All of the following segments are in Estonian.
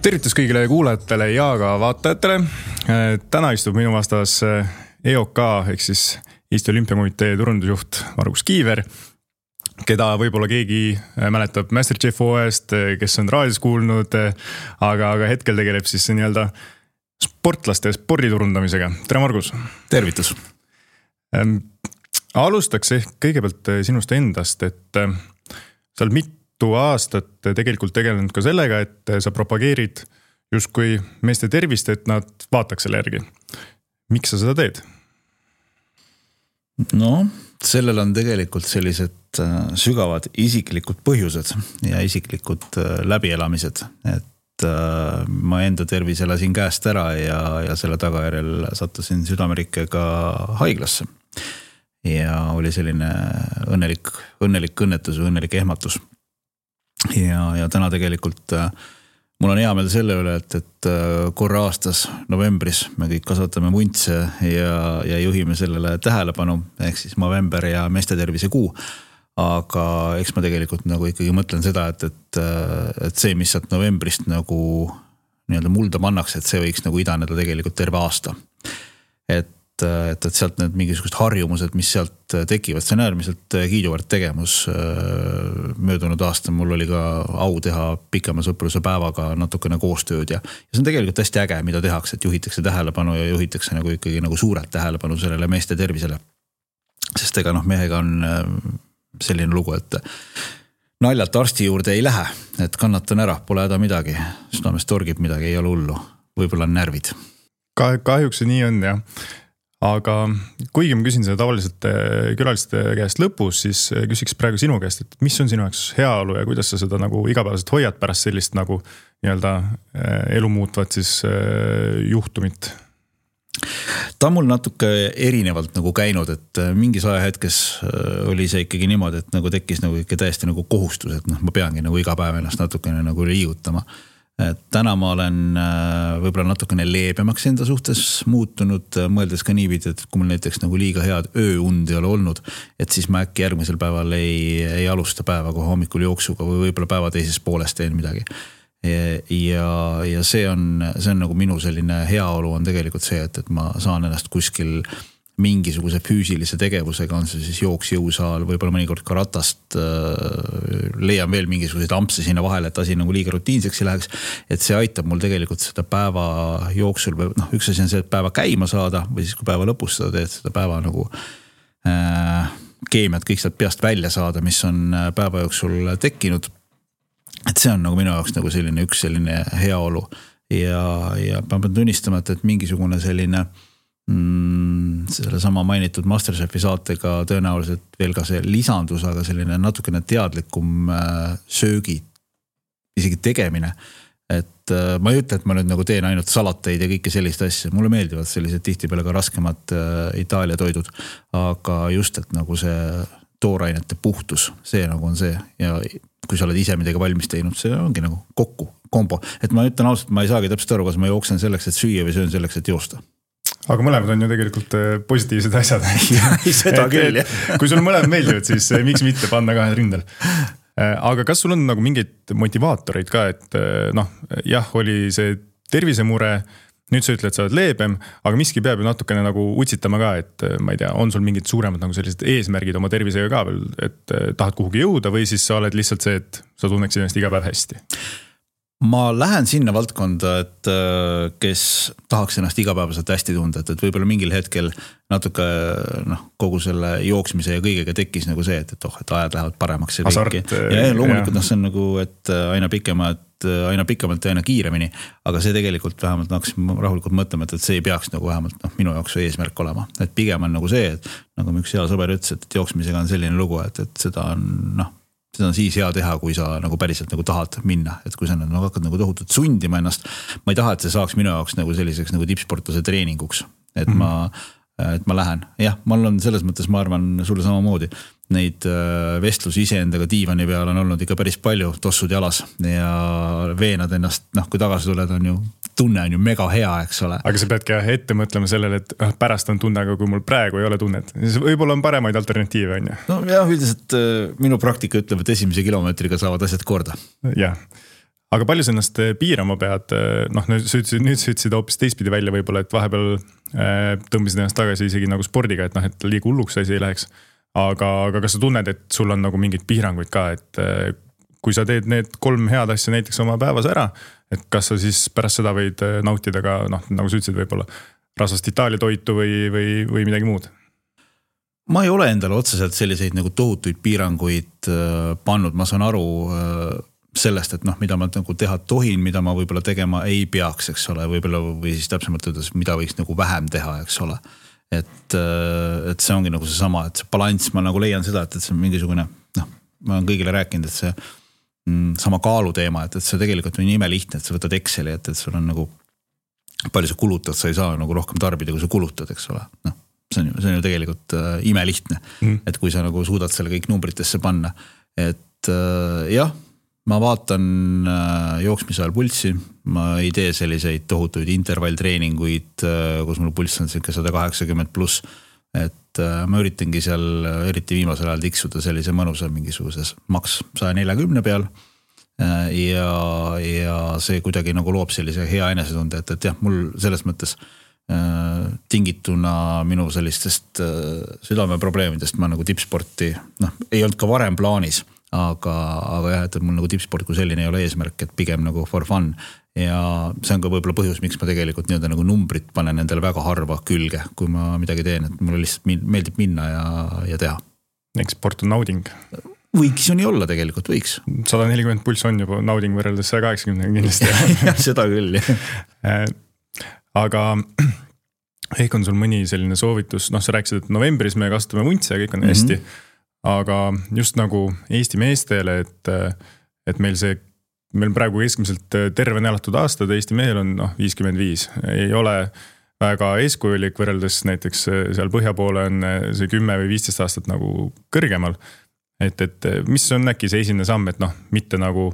Tervitus kõigile kuulajatele ja ka vaatajatele. Täna istub minu vastas EOK ehk siis Eesti Olümpiakomitee turundusjuht Margus Kiiver, keda võib-olla keegi mäletab MasterChef OEst, kes on raadios kuulnud, aga hetkel tegeleb siis nii-öelda sportlaste sporditurundamisega. Tere Margus! Tervitus! Alustaks ehk kõigepealt sinust endast, et sa oled mitu aastat tegelikult tegelenud ka sellega, et sa propageerid justkui meeste tervist, et nad vaataks selle järgi. Miks sa seda teed? No, sellel on tegelikult sellised sügavad isiklikud põhjused ja isiklikud läbielamised, et ma enda tervis elasin käest ära ja selle tagajärjel sattusin südamerikkega haiglasse. Ja oli selline õnnelik õnnetus või õnnelik ehmatus. Ja täna tegelikult mul on hea meel selle üle, et korra aastas novembris me kõik kasvatame muntse ja juhime sellele tähelepanu, ehk siis november ja meeste tervise kuu. Aga eks ma tegelikult nagu ikkagi mõtlen seda, et see, mis sealt novembrist nagu nii-öelda mulda pannakse, et see võiks nagu idaneda tegelikult terve aasta. Et sealt need mingisugused harjumused, mis sealt tekivad, see on äärmiselt kiiduväärt tegemus. Möödunud aasta mul oli ka au teha pikema sõpruse päevaga natukene koostööd ja see on tegelikult hästi äge, mida tehakse, et juhitakse tähelepanu ja juhitakse nagu ikkagi nagu suurelt tähelepanu sellele meeste tervisele. Sest ega mehega on selline lugu, et naljalt arsti juurde ei lähe, et kannatan ära, pole häda midagi, südames torgib midagi, ei ole hullu, võib-olla on närvid. Kahjuks see nii on, jah. Aga kuigi ma küsin seda tavaliselt külaliste käest lõpus, siis küsiks praegu sinu käest, et mis on sinu jaoks heaolu ja kuidas sa seda nagu igapäevaselt hoiad pärast sellist nagu nii-öelda elu muutvat siis juhtumit? Ta on mul natuke erinevalt nagu käinud, et mingis ajahetkes oli see ikkagi niimoodi, et nagu tekkis nagu ikka täiesti nagu kohustus, et ma peangi nagu iga päev ennast natukene nagu liigutama. Täna ma olen võib-olla natukene leebemaks enda suhtes muutunud, mõeldes ka niipidi, et kui mul näiteks nagu liiga head ööund ei ole olnud, et siis ma äkki järgmisel päeval ei alusta päeva kohe hommikul jooksuga või võib-olla päeva teises pooles teen midagi. Ja see on nagu minu selline heaolu on tegelikult see, et ma saan ennast kuskil mingisuguse füüsilise tegevusega, on see siis jooks jõusaal, võib-olla mõnikord ka ratast, leian veel mingisuguseid ampse sinna vahele, et asi nagu liiga rutiinseks ei läheks, et see aitab mul tegelikult seda päeva jooksul, üks asi on see, et päeva käima saada või siis kui päeva lõpus seda teed, seda päeva nagu keemiat kõik sealt peast välja saada, mis on päeva jooksul tekkinud, et see on nagu minu jaoks nagu selline üks selline heaolu ja ma pean tunnistama, et mingisugune selline selle sama mainitud MasterChefi saatega tõenäoliselt veel ka see lisandus, aga selline natukene teadlikum söögi isegi tegemine. Et ma ei ütle, et ma nüüd nagu teen ainult salateid ja kõike sellist asja. Mulle meeldivad sellised tihtipeale ka raskemad Itaalia toidud, aga just, et nagu see toorainete puhtus, see nagu on see ja kui sa oled ise midagi valmis teinud, see ongi nagu kombo. Et ma ütlen ausalt, ma ei saagi täpselt aru, kas ma jooksen selleks, et süüa või söön selleks, et joosta. Aga mõlemad on ju tegelikult positiivsed asjad. Seda küll, jah. Kui sul mõlemad meeldivad, siis miks mitte panna kahe rindel? Aga kas sul on nagu mingeid motivaatoreid ka, et jah, oli see tervisemure, nüüd sa ütled, et sa oled leebem, aga miski peab ju natukene nagu utsitama ka, et ma ei tea, on sul mingid suuremad nagu sellised eesmärgid oma tervisega ka veel, et tahad kuhugi jõuda või siis sa oled lihtsalt see, et sa tunneksid ennast iga päev hästi? Ma lähen sinna valdkonda, et kes tahaks ennast igapäevaselt hästi tunda, et võib-olla mingil hetkel natuke kogu selle jooksmise ja kõigega tekkis nagu see, et ajad lähevad paremaks. Asart. Ja loomulikult see on nagu, et aina pikemalt ja aina kiiremini, aga see tegelikult vähemalt hakkasin rahulikult mõtlema, et see ei peaks nagu vähemalt minu jaoks eesmärk olema. Et pigem on nagu see, et nagu üks hea sõber ütles, et jooksmisega on selline lugu, et seda on siis hea teha, kui sa nagu päriselt nagu tahad minna, et kui sa nagu hakkad nagu tohutult sundima ennast, ma ei taha, et see saaks minu jaoks nagu selliseks nagu tippsportlase treeninguks, et ma lähen. Jah, mul on selles mõttes, ma arvan, sulle samamoodi neid vestlusi iseendaga diivani peal on olnud ikka päris palju, tossud jalas ja veenad ennast, kui tagasi tuled on ju, tunne on ju mega hea, eks ole. Aga sa peadki ette mõtlema sellele, et pärast on tunne, aga kui mul praegu ei ole tunnet, siis võib-olla on paremaid alternatiive, on ju? No jah, üldiselt minu praktika ütleb, et esimese kilomeetriga saavad asjad korda. Jah. aga palju sa ennast piirama pead, noh nüüd sa ütlesid hoopis teistpidi välja võib-olla, et vahepeal tõmbisid ennast tagasi isegi nagu spordiga, et noh, et liiga hulluks asi ei läheks. Aga kas sa tunned, et sul on nagu mingid piiranguid ka, et kui sa teed need 3 head asja näiteks oma päevas ära, et kas sa siis pärast seda võid nautida ka, noh, nagu sa ütlesid võib-olla rasvast Itaalia toitu või midagi muud? Ma ei ole endale otseselt selliseid nagu tohutuid piiranguid pannud, ma saan aru sellest, et noh, mida ma nagu teha tohin, mida ma võib-olla tegema ei peaks, eks ole, võib-olla või siis täpsemalt ütles, mida võiks nagu vähem teha, eks ole. Et see ongi nagu see sama, et see balanss, ma nagu leian seda, et see on mingisugune, noh, ma olen kõigile rääkinud, et see sama kaalu teema, et see tegelikult on ime lihtne, et sa võtad Exceli, et sul on nagu palju sa kulutad, sa ei saa nagu rohkem tarbida, kui sa kulutad, eks ole, noh. See on ju tegelikult ime lihtne, et kui sa nagu suudad selle kõik numbritesse panna, et jah, ma vaatan jooksmise ajal pulssi, ma ei tee selliseid tohutuid intervalltreeninguid, kus mul pulss on 180 pluss, et ma üritangi seal eriti viimasel ajal tiksuda sellise mõnusa mingisuguses maks 140 peal ja see kuidagi nagu loob sellise hea enesetunde, et jah, mul selles mõttes tingituna minu sellistest südameprobleemidest ma nagu tippsporti, noh, ei olnud ka varem plaanis, aga jah, et mul nagu tippsport kui selline ei ole eesmärk, et pigem nagu for fun ja see on ka võib-olla põhjus, miks ma tegelikult nii-öelda nagu numbrit panen endale väga harva külge, kui ma midagi teen, et mulle lihtsalt meeldib minna ja teha. Eks sport on nauding. Võiks ju nii olla tegelikult, võiks. 140 pulss on juba nauding võrreldes 180 kindlasti. Seda küll, jah. Aga ehk on sul mõni selline soovitus, noh sa rääkisid, et novembris me kasutame vuntse ja kõik on hästi, aga just nagu Eesti meestele, et meil praegu keskmiselt terve elatud aastad, Eesti mehel on 55, ei ole väga eeskujulik võrreldes näiteks seal põhja poole on see 10 või 15 aastat nagu kõrgemal, et mis on äkki see esimene samm, et noh, mitte nagu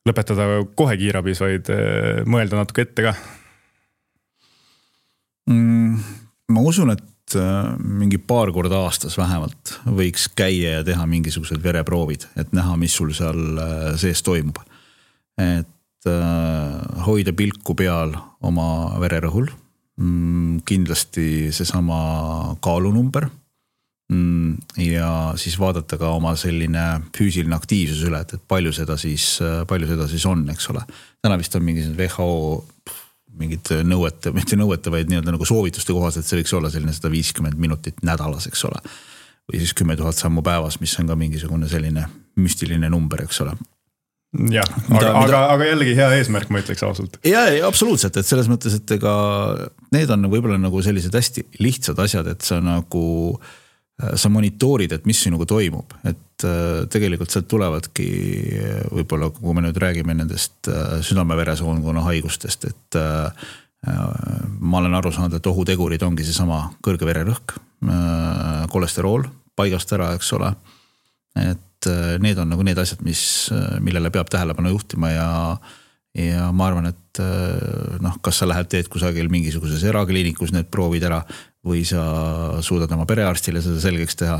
lõpetada kohe kiirabis, vaid mõelda natuke ette ka? Ma usun, et mingi paar korda aastas vähemalt võiks käia ja teha mingisugused vereproovid, et näha, mis sul seal sees toimub. Et hoida pilku peal oma vererõhul, kindlasti seesama kaalunumber ja siis vaadata ka oma selline füüsiline aktiivsus üle, et palju seda siis on, eks ole. Täna vist on mingi WHO mingid nõuete, mitte nõuete, vaid nii-öelda nagu soovituste kohas, et see võiks olla selline 150 minutit nädalas, eks ole. Või siis 10 000 sammu päevas, mis on ka mingisugune selline müstiline number, eks ole. Jah, aga jällegi hea eesmärk, ma ütleks ausalt. Ja, absoluutselt, et selles mõttes, et ega need on võib-olla nagu sellised hästi lihtsad asjad, et sa nagu sa monitoorid, et mis sinuga toimub, et tegelikult sealt tulevadki võib-olla, kui me nüüd räägime nendest südame-veresoonkonna haigustest, et ma olen aru saanud, et ohutegurid ongi see sama kõrge vererõhk, kolesterool paigast ära, eks ole, et need on nagu need asjad, millele peab tähelepanu juhtima ja ma arvan, et kas sa lähed teed kusagil mingisuguses erakliinikus need proovid ära või sa suudad oma perearstile seda selgeks teha,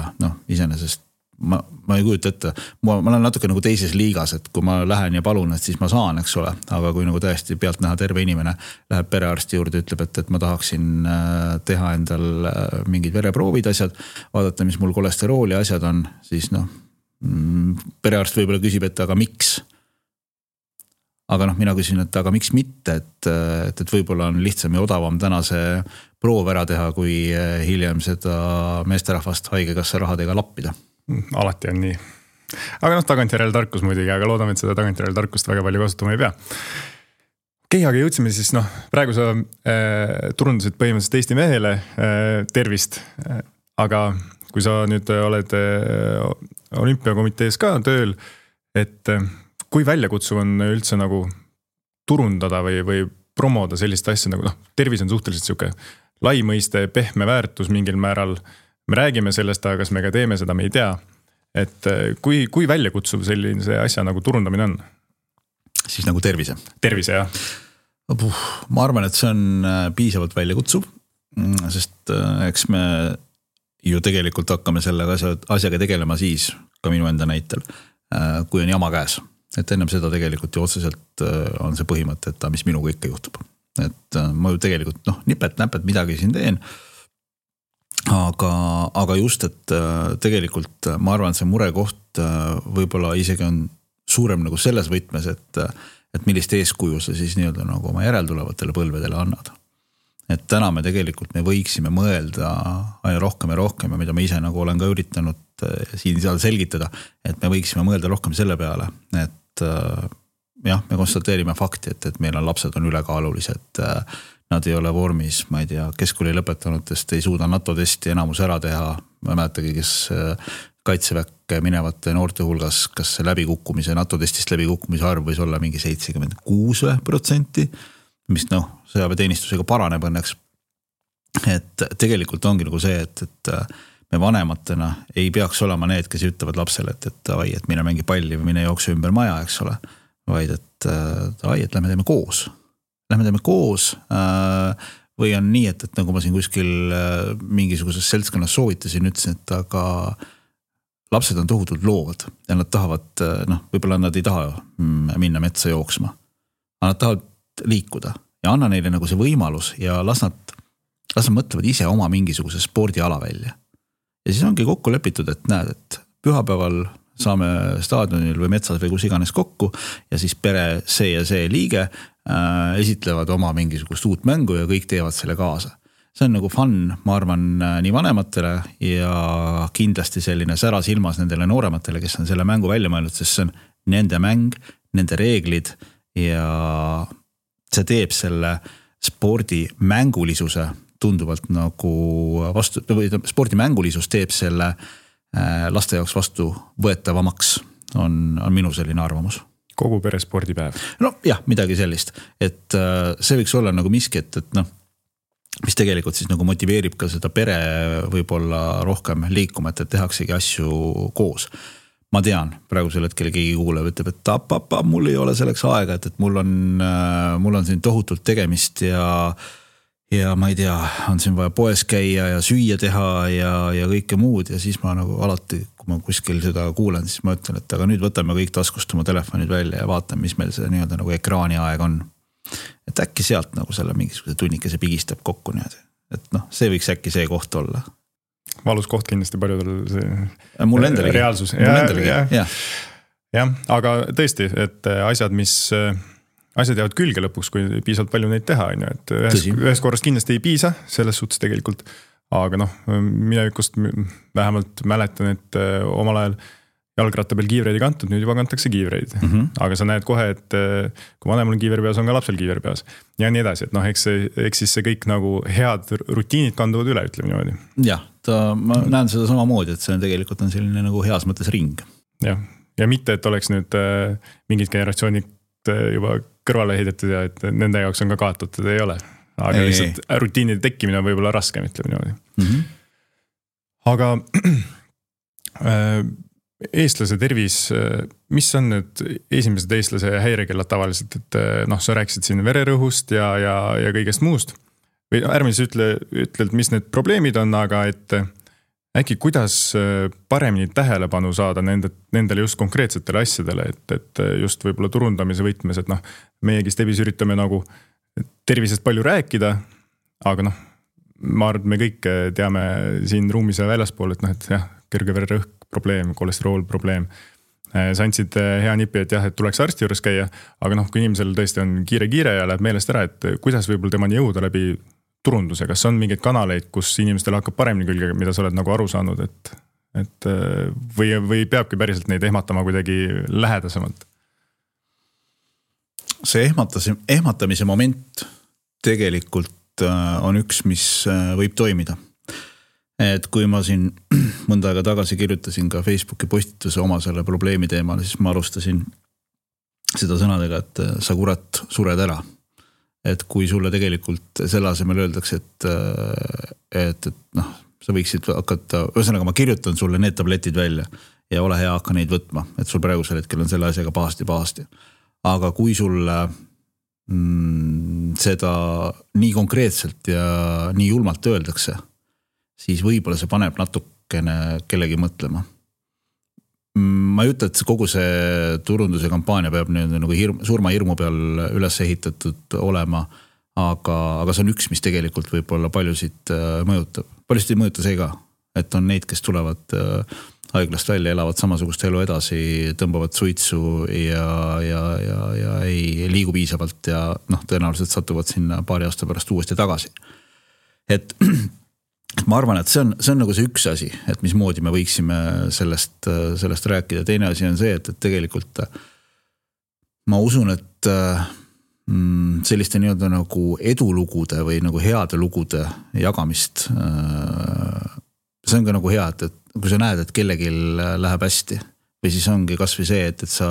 iseenesest ma ei kujuta ette, ma olen natuke nagu teises liigas, et kui ma lähen ja palun, et siis ma saan, eks ole, aga kui nagu tõesti pealt näha terve inimene läheb perearsti juurde, ütleb, et ma tahaksin teha endal mingid vereproovid asjad, vaadata, mis mul kolesterooli asjad on, siis perearst võib-olla küsib, et aga miks? Aga mina küsin, et aga miks mitte, et võib-olla on lihtsam ja odavam täna see proov ära teha, kui hiljem seda meesterahvast haigekassa rahadega lappida. Alati on nii. Aga tagantjärele tarkus muidugi, aga loodame, et seda tagantjärele tarkust väga palju kasutama ei pea. Okei, aga jõudsime siis, praegu sa turundasid põhimõtteliselt Eesti mehele tervist, aga kui sa nüüd oled olümpiakomitees ka tööl, et kui väljakutsuv on üldse nagu turundada või promoda sellist asja nagu tervis on suhteliselt siuke lai mõiste, pehme väärtus mingil määral. Me räägime sellest, aga kas me ka teeme seda, me ei tea. Et kui väljakutsuv selline asja nagu turundamine on? Siis nagu tervise? Tervise, jah. Ma arvan, et see on piisavalt väljakutsuv, sest eks me ju tegelikult hakkame selle asjaga tegelema siis, ka minu enda näitel, kui on jama käes. et ennem seda tegelikult ju otseselt on see põhimõte, et mis minuga ikka juhtub. Et ma ju tegelikult nipet-näpet midagi siin teen. Aga just, et tegelikult ma arvan, et see murekoht võib-olla isegi on suurem nagu selles võtmes, et millist eeskuju sa siis nii-öelda nagu oma järeltulevatele põlvedele annad. Et täna me tegelikult me võiksime mõelda aina rohkem ja rohkem ja mida ma ise nagu olen ka üritanud siin seal selgitada, et me võiksime mõelda rohkem selle peale, et jah, me konstateerime fakti, et meil on lapsed on ülekaalulised, nad ei ole vormis, ma ei tea, keskkooli lõpetanutest ei suuda NATO testi enamus ära teha, ma mäletagi, kes kaitseväkke minevate noorte hulgas, kas see läbikukkumise, NATO testist läbikukkumise arv võis olla mingi 76%, mis sõjaväeteenistusega paraneb õnneks. Et tegelikult ongi nagu see, et me vanematena ei peaks olema need, kes ütlevad lapsele, et mine mängi palli või mine jookse ümber maja, eks ole, vaid et lähme teeme koos. Lähme teeme koos või on nii, et nagu ma siin kuskil mingisuguses seltskonnas soovitasin, ütlesin, et aga lapsed on tohutult loovad ja nad tahavad, võib-olla nad ei taha minna metsa jooksma, aga nad tahavad liikuda ja anna neile nagu see võimalus ja las nad mõtlevad ise oma mingisuguse spordiala välja. Ja siis ongi kokku lepitud, et näed, et pühapäeval saame staadionil või metsas või kus iganes kokku ja siis pere see ja see liige esitlevad oma mingisugust uut mängu ja kõik teevad selle kaasa. See on nagu fun, ma arvan, nii vanematele ja kindlasti selline säras ilmas nendele noorematele, kes on selle mängu välja mõelnud, sest see on nende mäng, nende reeglid ja see teeb selle spordi mängulisuse tunduvalt nagu vastu, või spordi mängulisus teeb selle laste jaoks vastu võetavamaks, on minu selline arvamus. Kogu pere spordipäev. No jah, midagi sellist, et see võiks olla nagu miski, et mis tegelikult siis nagu motiveerib ka seda pere võib-olla rohkem liikuma, et tehaksegi asju koos. Ma tean, praegusel hetkel keegi kuuleb, ütleb, et mul ei ole selleks aega, et mul on siin tohutult tegemist ja ma ei tea, on siin vaja poes käia ja süüa teha ja kõike muud ja siis ma nagu alati, kui ma kuskil seda kuulen, siis ma ütlen, et aga nüüd võtame kõik taskust oma telefonid välja ja vaatame, mis meil see nii-öelda nagu ekraani aeg on. Et äkki sealt nagu selle mingisuguse tunnikese pigistab kokku niimoodi. Et see võiks äkki see koht olla. Valus koht kindlasti paljudel see mul endalegi. Reaalsus. Jah, aga tõesti, et asjad jäävad külge lõpuks, kui piisavalt palju neid teha, et ühes korrast kindlasti ei piisa, selles suhtes tegelikult, aga minevikust vähemalt mäletan, et omal ajal jalgratta peal kiivreid ei kantud, nüüd juba kantakse kiivreid, aga sa näed kohe, et kui vanemal on kiiver peas, on ka lapsel kiiver peas ja nii edasi, et eks siis see kõik nagu head rutiinid kanduvad üle, ütleme niimoodi. Jah, ma näen seda samamoodi, et see tegelikult on selline nagu heas mõttes ring. Jah, ja mitte, et oleks nüüd mingid generatsioonid juba kõrvale heidetud ja et nende jaoks on ka kaotatud, ei ole. Aga lihtsalt rutiinide tekkimine on võib-olla raskem, ütleme niimoodi. Aga eestlase tervis, mis on nüüd esimesed eestlase häirekellad tavaliselt, et sa rääkisid siin vererõhust ja kõigest muust või ärme siis ütled, mis need probleemid on, aga et äkki kuidas paremini tähelepanu saada nendele just konkreetsetele asjadele, et just võib-olla turundamise võtmes, et meiegi Stebis üritame nagu tervisest palju rääkida, aga ma arvan, et me kõik teame siin ruumis ja väljaspool, et jah, kõrge vererõhk probleem, kolesterool probleem. Sa andsid hea nipi, et jah, et tuleks arsti juures käia, aga kui inimesel tõesti on kiire ja läheb meelest ära, et kuidas võib-olla temani jõuda läbi turunduse, kas on mingeid kanaleid, kus inimestel hakkab paremini külge, mida sa oled nagu aru saanud, et või peabki päriselt neid ehmatama kuidagi lähedasemalt? See ehmatamise moment tegelikult on üks, mis võib toimida. Et kui ma siin mõnda aega tagasi kirjutasin ka Facebooki postituse oma selle probleemi teemal, siis ma alustasin seda sõnadega, et sa kurat sured ära. Et kui sulle tegelikult selle asemel öeldakse, et sa võiksid hakata, ühesõnaga ma kirjutan sulle need tabletid välja ja ole hea, hakka neid võtma, et sul praegusel hetkel on selle asjaga pahasti. Aga kui sulle seda nii konkreetselt ja nii julmalt öeldakse, siis võib-olla see paneb natukene kellegi mõtlema. ma ei ütle, et kogu see turunduse kampaania peab nagu surmahirmu peal üles ehitatud olema, aga see on üks, mis tegelikult võib-olla paljusid mõjutab. Paljusid ei mõjuta see ka, et on neid, kes tulevad haiglast välja, elavad samasugust elu edasi, tõmbavad suitsu ja ei liigu piisavalt ja tõenäoliselt satuvad sinna paari aasta pärast uuesti tagasi. Et ma arvan, et see on nagu see üks asi, et mismoodi me võiksime sellest rääkida. Teine asi on see, et tegelikult ma usun, et selliste nii-öelda nagu edulugude või nagu heade lugude jagamist, see on ka nagu hea, et kui sa näed, et kellegi läheb hästi või siis ongi kas või see, et sa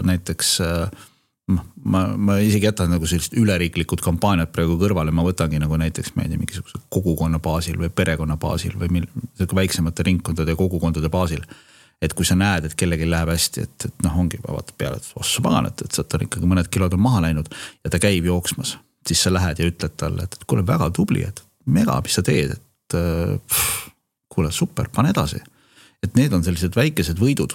näiteks ma isegi jätan nagu sellist üleriiklikud kampaaniad praegu kõrvale, ma võtangi nagu näiteks mingisuguse kogukonna baasil või perekonna baasil või väiksemate ringkondade ja kogukondade baasil, et kui sa näed, et kellegi läheb hästi, et ongi vaatad peale, et ossu pagan, et sealt on ikkagi mõned kilod on maha läinud ja ta käib jooksmas, siis sa lähed ja ütled talle, et kuule väga tubli, et mega, mis sa teed, et kuule super, pane edasi. Et need on sellised väikesed võidud,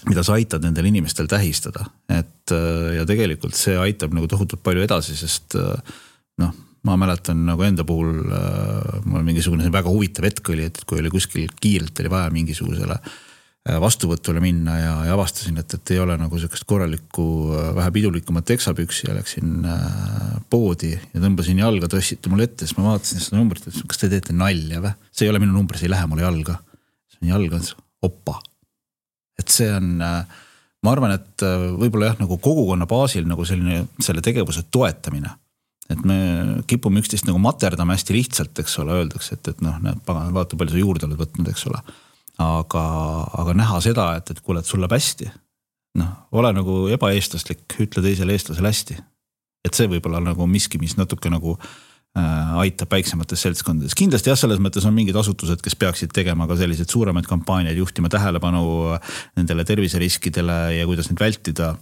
mida sa aitad nendel inimestel tähistada. Ja tegelikult see aitab nagu tohutult palju edasi, sest ma mäletan nagu enda puhul, mul on mingisugune väga huvitav hetk oli, et kui oli kuskil kiirelt oli vaja mingisugusele vastuvõtule minna ja avastasin, et ei ole nagu sellist korralikku vähe pidulikumat teksapüksi ja läksin poodi ja tõmbasin jalga, tõssiti mul ette, siis ma vaatasin seda numbrit, et kas te teete nalja või? See ei ole minu number, see ei lähe mulle jalga. See on jalga, oppa. Et see on, ma arvan, et võib-olla jah, nagu kogukonna baasil nagu selle tegevuse toetamine. Et me kipume üksteist nagu materdame hästi lihtsalt, eks ole, öeldakse, et vaata palju sa juurde oled võtnud, eks ole. Aga näha seda, et kuule, et sul läheb hästi. Ole nagu ebaeestlaslik, ütle teisele eestlasele hästi. Et see võib-olla nagu miski, mis natuke nagu aitab väiksemates seltskondades. Kindlasti jah, selles mõttes on mingid asutused, kes peaksid tegema ka sellised suuremaid kampaaniaid, juhtima tähelepanu nendele terviseriskidele ja kuidas neid vältida.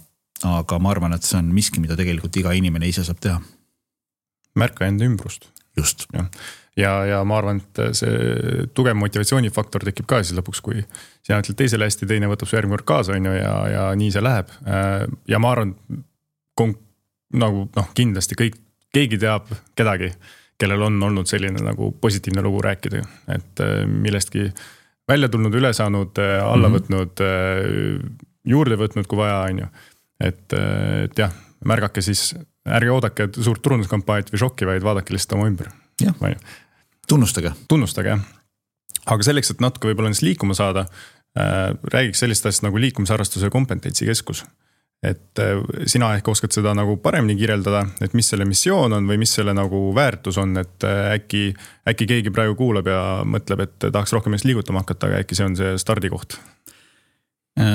Aga ma arvan, et see on miski, mida tegelikult iga inimene ise saab teha. Märka enda ümbrust. Just. Ja ma arvan, et see tugev motivatsioonifaktor tekib ka siis lõpuks, kui sina ütled teisele hästi, teine võtab su järgmine kord kaasa ja nii see läheb. Ja ma arvan, nagu kindlasti keegi teab kedagi, kellel on olnud selline nagu positiivne lugu rääkida, et millestki välja tulnud, üle saanud, alla võtnud, juurde võtnud, kui vaja on ju. Et jah, märgake siis, ärge oodake suurt turunduskampaaniat või šokki, vaid vaadake lihtsalt oma ümber. Jah, tunnustage, jah. Aga selleks, et natuke võib-olla neist liikuma saada, räägiks sellist asjast nagu liikumisharrastuse kompetentsikeskus. Et sina ehk oskad seda nagu paremini kirjeldada, et mis selle missioon on või mis selle nagu väärtus on, et äkki keegi praegu kuulab ja mõtleb, et tahaks rohkem eest liigutama hakata, aga äkki see on see stardikoht.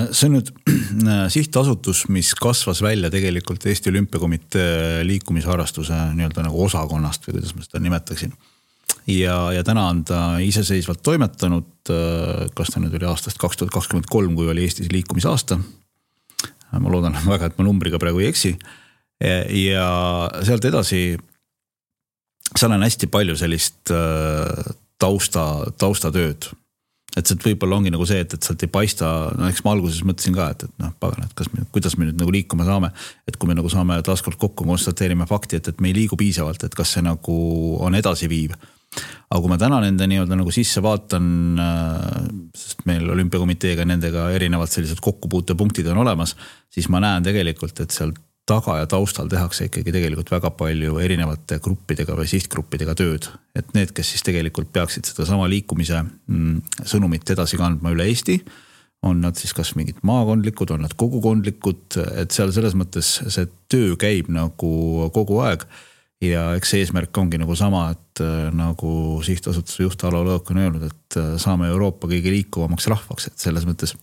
See on nüüd sihtasutus, mis kasvas välja tegelikult Eesti Olümpiakomitee liikumisharrastuse nii-öelda nagu osakonnast või kuidas ma seda nimetaksin. Ja täna on ta iseseisvalt toimetanud, kas ta nüüd oli aastast 2023, kui oli Eestis liikumisaasta. Ma loodan väga, et ma numbriga praegu ei eksi. Ja sealt edasi, seal on hästi palju sellist taustatööd. Et see võib-olla ongi nagu see, et sealt ei paista, eks ma alguses mõtlesin ka, et pagan, et kuidas me nüüd nagu liikuma saame, et kui me nagu saame taaskord kokku, konstateerime fakti, et me ei liigu piisavalt, et kas see nagu on edasi viiv. Aga kui ma täna nende nii-öelda nagu sisse vaatan, sest meil Olümpiakomiteega nendega erinevad sellised kokkupuutepunktid on olemas, siis ma näen tegelikult, et seal taga ja taustal tehakse ikkagi tegelikult väga palju erinevate gruppidega või sihtgruppidega tööd. Et need, kes siis tegelikult peaksid seda sama liikumise sõnumit edasi kandma üle Eesti, on nad siis kas mingid maakondlikud, on nad kogukondlikud, et seal selles mõttes see töö käib nagu kogu aeg ja eks see eesmärk ongi nagu sama, et nagu sihtasutuse juht Alo Lõõk on öelnud, et saame Euroopa kõige liikuvamaks rahvaks, et selles mõttes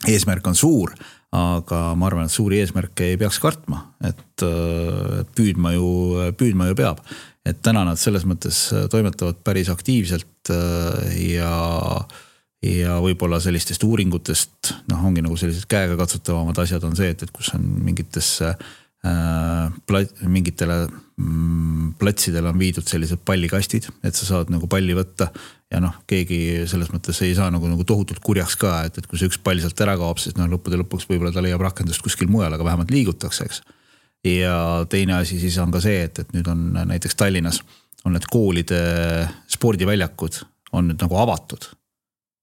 eesmärk on suur, aga ma arvan, et suuri eesmärke ei peaks kartma, et püüdma ju peab. Et täna nad selles mõttes toimetavad päris aktiivselt ja võib-olla sellistest uuringutest, ongi nagu sellised käega katsutavamad asjad on see, et kus on mingitesse mingitele platsidele on viidud sellised pallikastid, et sa saad nagu palli võtta ja noh, keegi selles mõttes ei saa nagu tohutult kurjaks ka, et kui see üks pall sealt ära kaob, siis noh, lõppude lõpuks võib-olla ta leiab rakendust kuskil mujal, aga vähemalt liigutakse, eks. Ja teine asi siis on ka see, et nüüd on näiteks Tallinnas on need koolide spordiväljakud on nüüd nagu avatud,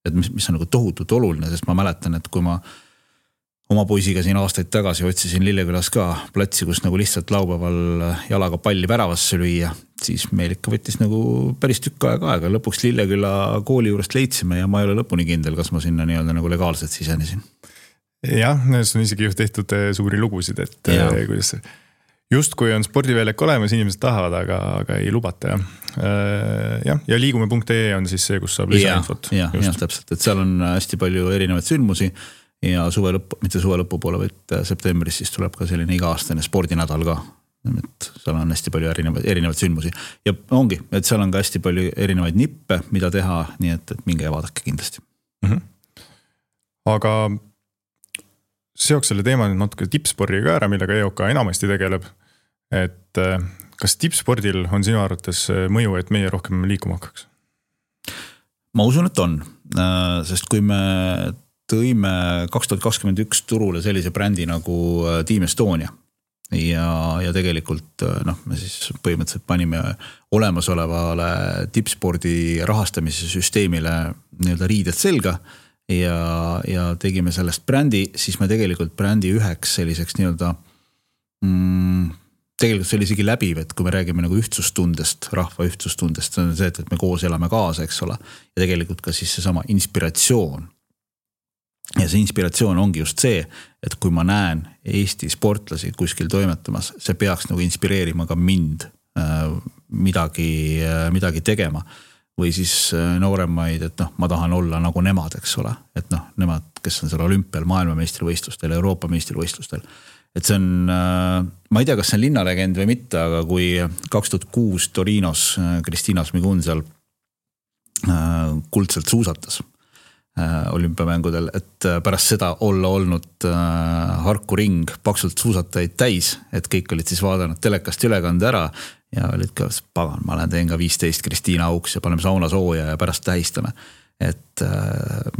et mis on nagu tohutult oluline, sest ma mäletan, et kui ma oma poisiga siin aastaid tagasi otsisin Lillekülas ka platsi, kus nagu lihtsalt laupäeval jalaga palli väravasse lüüa, siis meil ikka võttis nagu päris tükk aega. Lõpuks Lilleküla kooli juurest leidsime ja ma ei ole lõpuni kindel, kas ma sinna nii-öelda nagu legaalselt sisenesin. Jah, see on isegi tehtud suuri lugusid, et kuidas just kui on spordiväljak olemas, inimesed tahavad, aga ei lubata. Ja liigume.ee on siis see, kus saab lisainfot. Ja, täpselt, et seal on hästi palju erinevaid sündmusi ja mitte suve lõpu poole, vaid septembris siis tuleb ka selline iga-aastane spordinädal ka. Et seal on hästi palju erinevaid sündmusi ja ongi, et seal on ka hästi palju erinevaid nippe, mida teha, nii et minge ja vaadake kindlasti. Aga seoks selle teema nüüd natuke tippspordiga ära, millega EOK enamasti tegeleb. Et kas tippspordil on sinu arvates mõju, et meie rohkem liikuma hakkaks? Ma usun, et on, sest kui me tõime 2021 turule sellise brändi nagu Team Estonia ja tegelikult me siis põhimõtteliselt panime olemasolevale tippspordi rahastamise süsteemile nii-öelda riided selga ja tegime sellest brändi, siis me tegelikult brändi üheks selliseks nii-öelda tegelikult see oli isegi läbiv, et kui me räägime nagu ühtsustundest, rahva ühtsustundest, see on see, et me koos elame kaasa, eks ole, ja tegelikult ka siis seesama inspiratsioon. Ja see inspiratsioon ongi just see, et kui ma näen Eesti sportlasi kuskil toimetamas, see peaks nagu inspireerima ka mind midagi tegema või siis nooremaid, et ma tahan olla nagu nemad, eks ole, et nemad, kes on seal olümpial, maailmameistrivõistlustel, Euroopa meistrivõistlustel, et see on, ma ei tea, kas see on linnalegend või mitte, aga kui 2006 Torinos Kristiina Smigun seal kuldselt suusatas olümpiamängudel, et pärast seda olla olnud Harku ring paksult suusatajaid täis, et kõik olid siis vaadanud telekast ülekande ära ja olid ka, pagan, ma teen ka 15 Kristiina auks ja paneme sauna sooja ja pärast tähistame. Et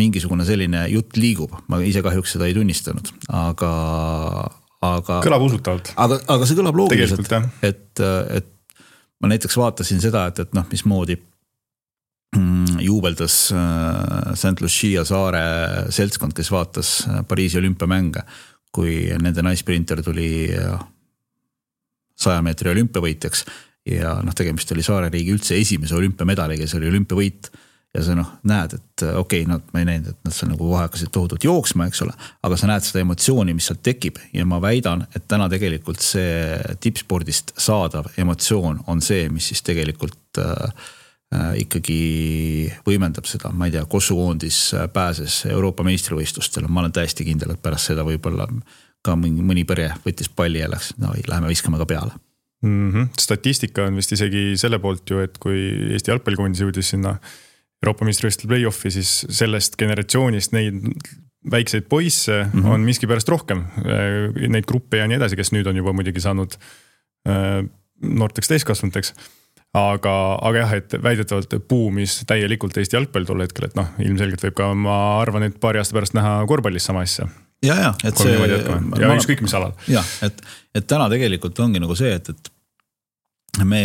mingisugune selline jutt liigub, ma ise kahjuks seda ei tunnistanud, aga kõlab usutavalt. Aga see kõlab loogiliselt, et ma näiteks vaatasin seda, et mismoodi juubeldas St. Lucia saare seltskond, kes vaatas Pariisi olümpiamänge, kui nende naisprinter tuli 100 meetri olümpiavõitjaks ja tegemist oli saare riigi üldse esimese olümpiamedaliga, see oli olümpiavõit ja sa näed, et okei, ma ei näinud, et nad seal nagu hakkasid tohutult jooksma, eks ole, aga sa näed seda emotsiooni, mis seal tekib ja ma väidan, et täna tegelikult see tippspordist saadav emotsioon on see, mis siis tegelikult ikkagi võimendab seda, ma ei tea, Kossuvoondis pääses Euroopa meistrivõistlustel, ma olen täiesti kindel, et pärast seda võib-olla ka mõni pere võttis palli ja läks, läheme viskame ka peale. Statistika on vist isegi selle poolt ju, et kui Eesti jalgpallikoondis jõudis sinna Euroopa meistrivõistlustel play-offi, siis sellest generatsioonist neid väikseid poisse on miski pärast rohkem, neid gruppe ja nii edasi, kes nüüd on juba muidugi saanud noorteks täiskasvanuteks. Aga jah, et väidetavalt buumis täielikult Eesti jalgpall tol hetkel, et ilmselgelt võib ka, ma arvan, et paari aasta pärast näha korvpallis sama asja. Ja, et see... Ja ükskõik mis alal. Ja, et täna tegelikult ongi nagu see, et me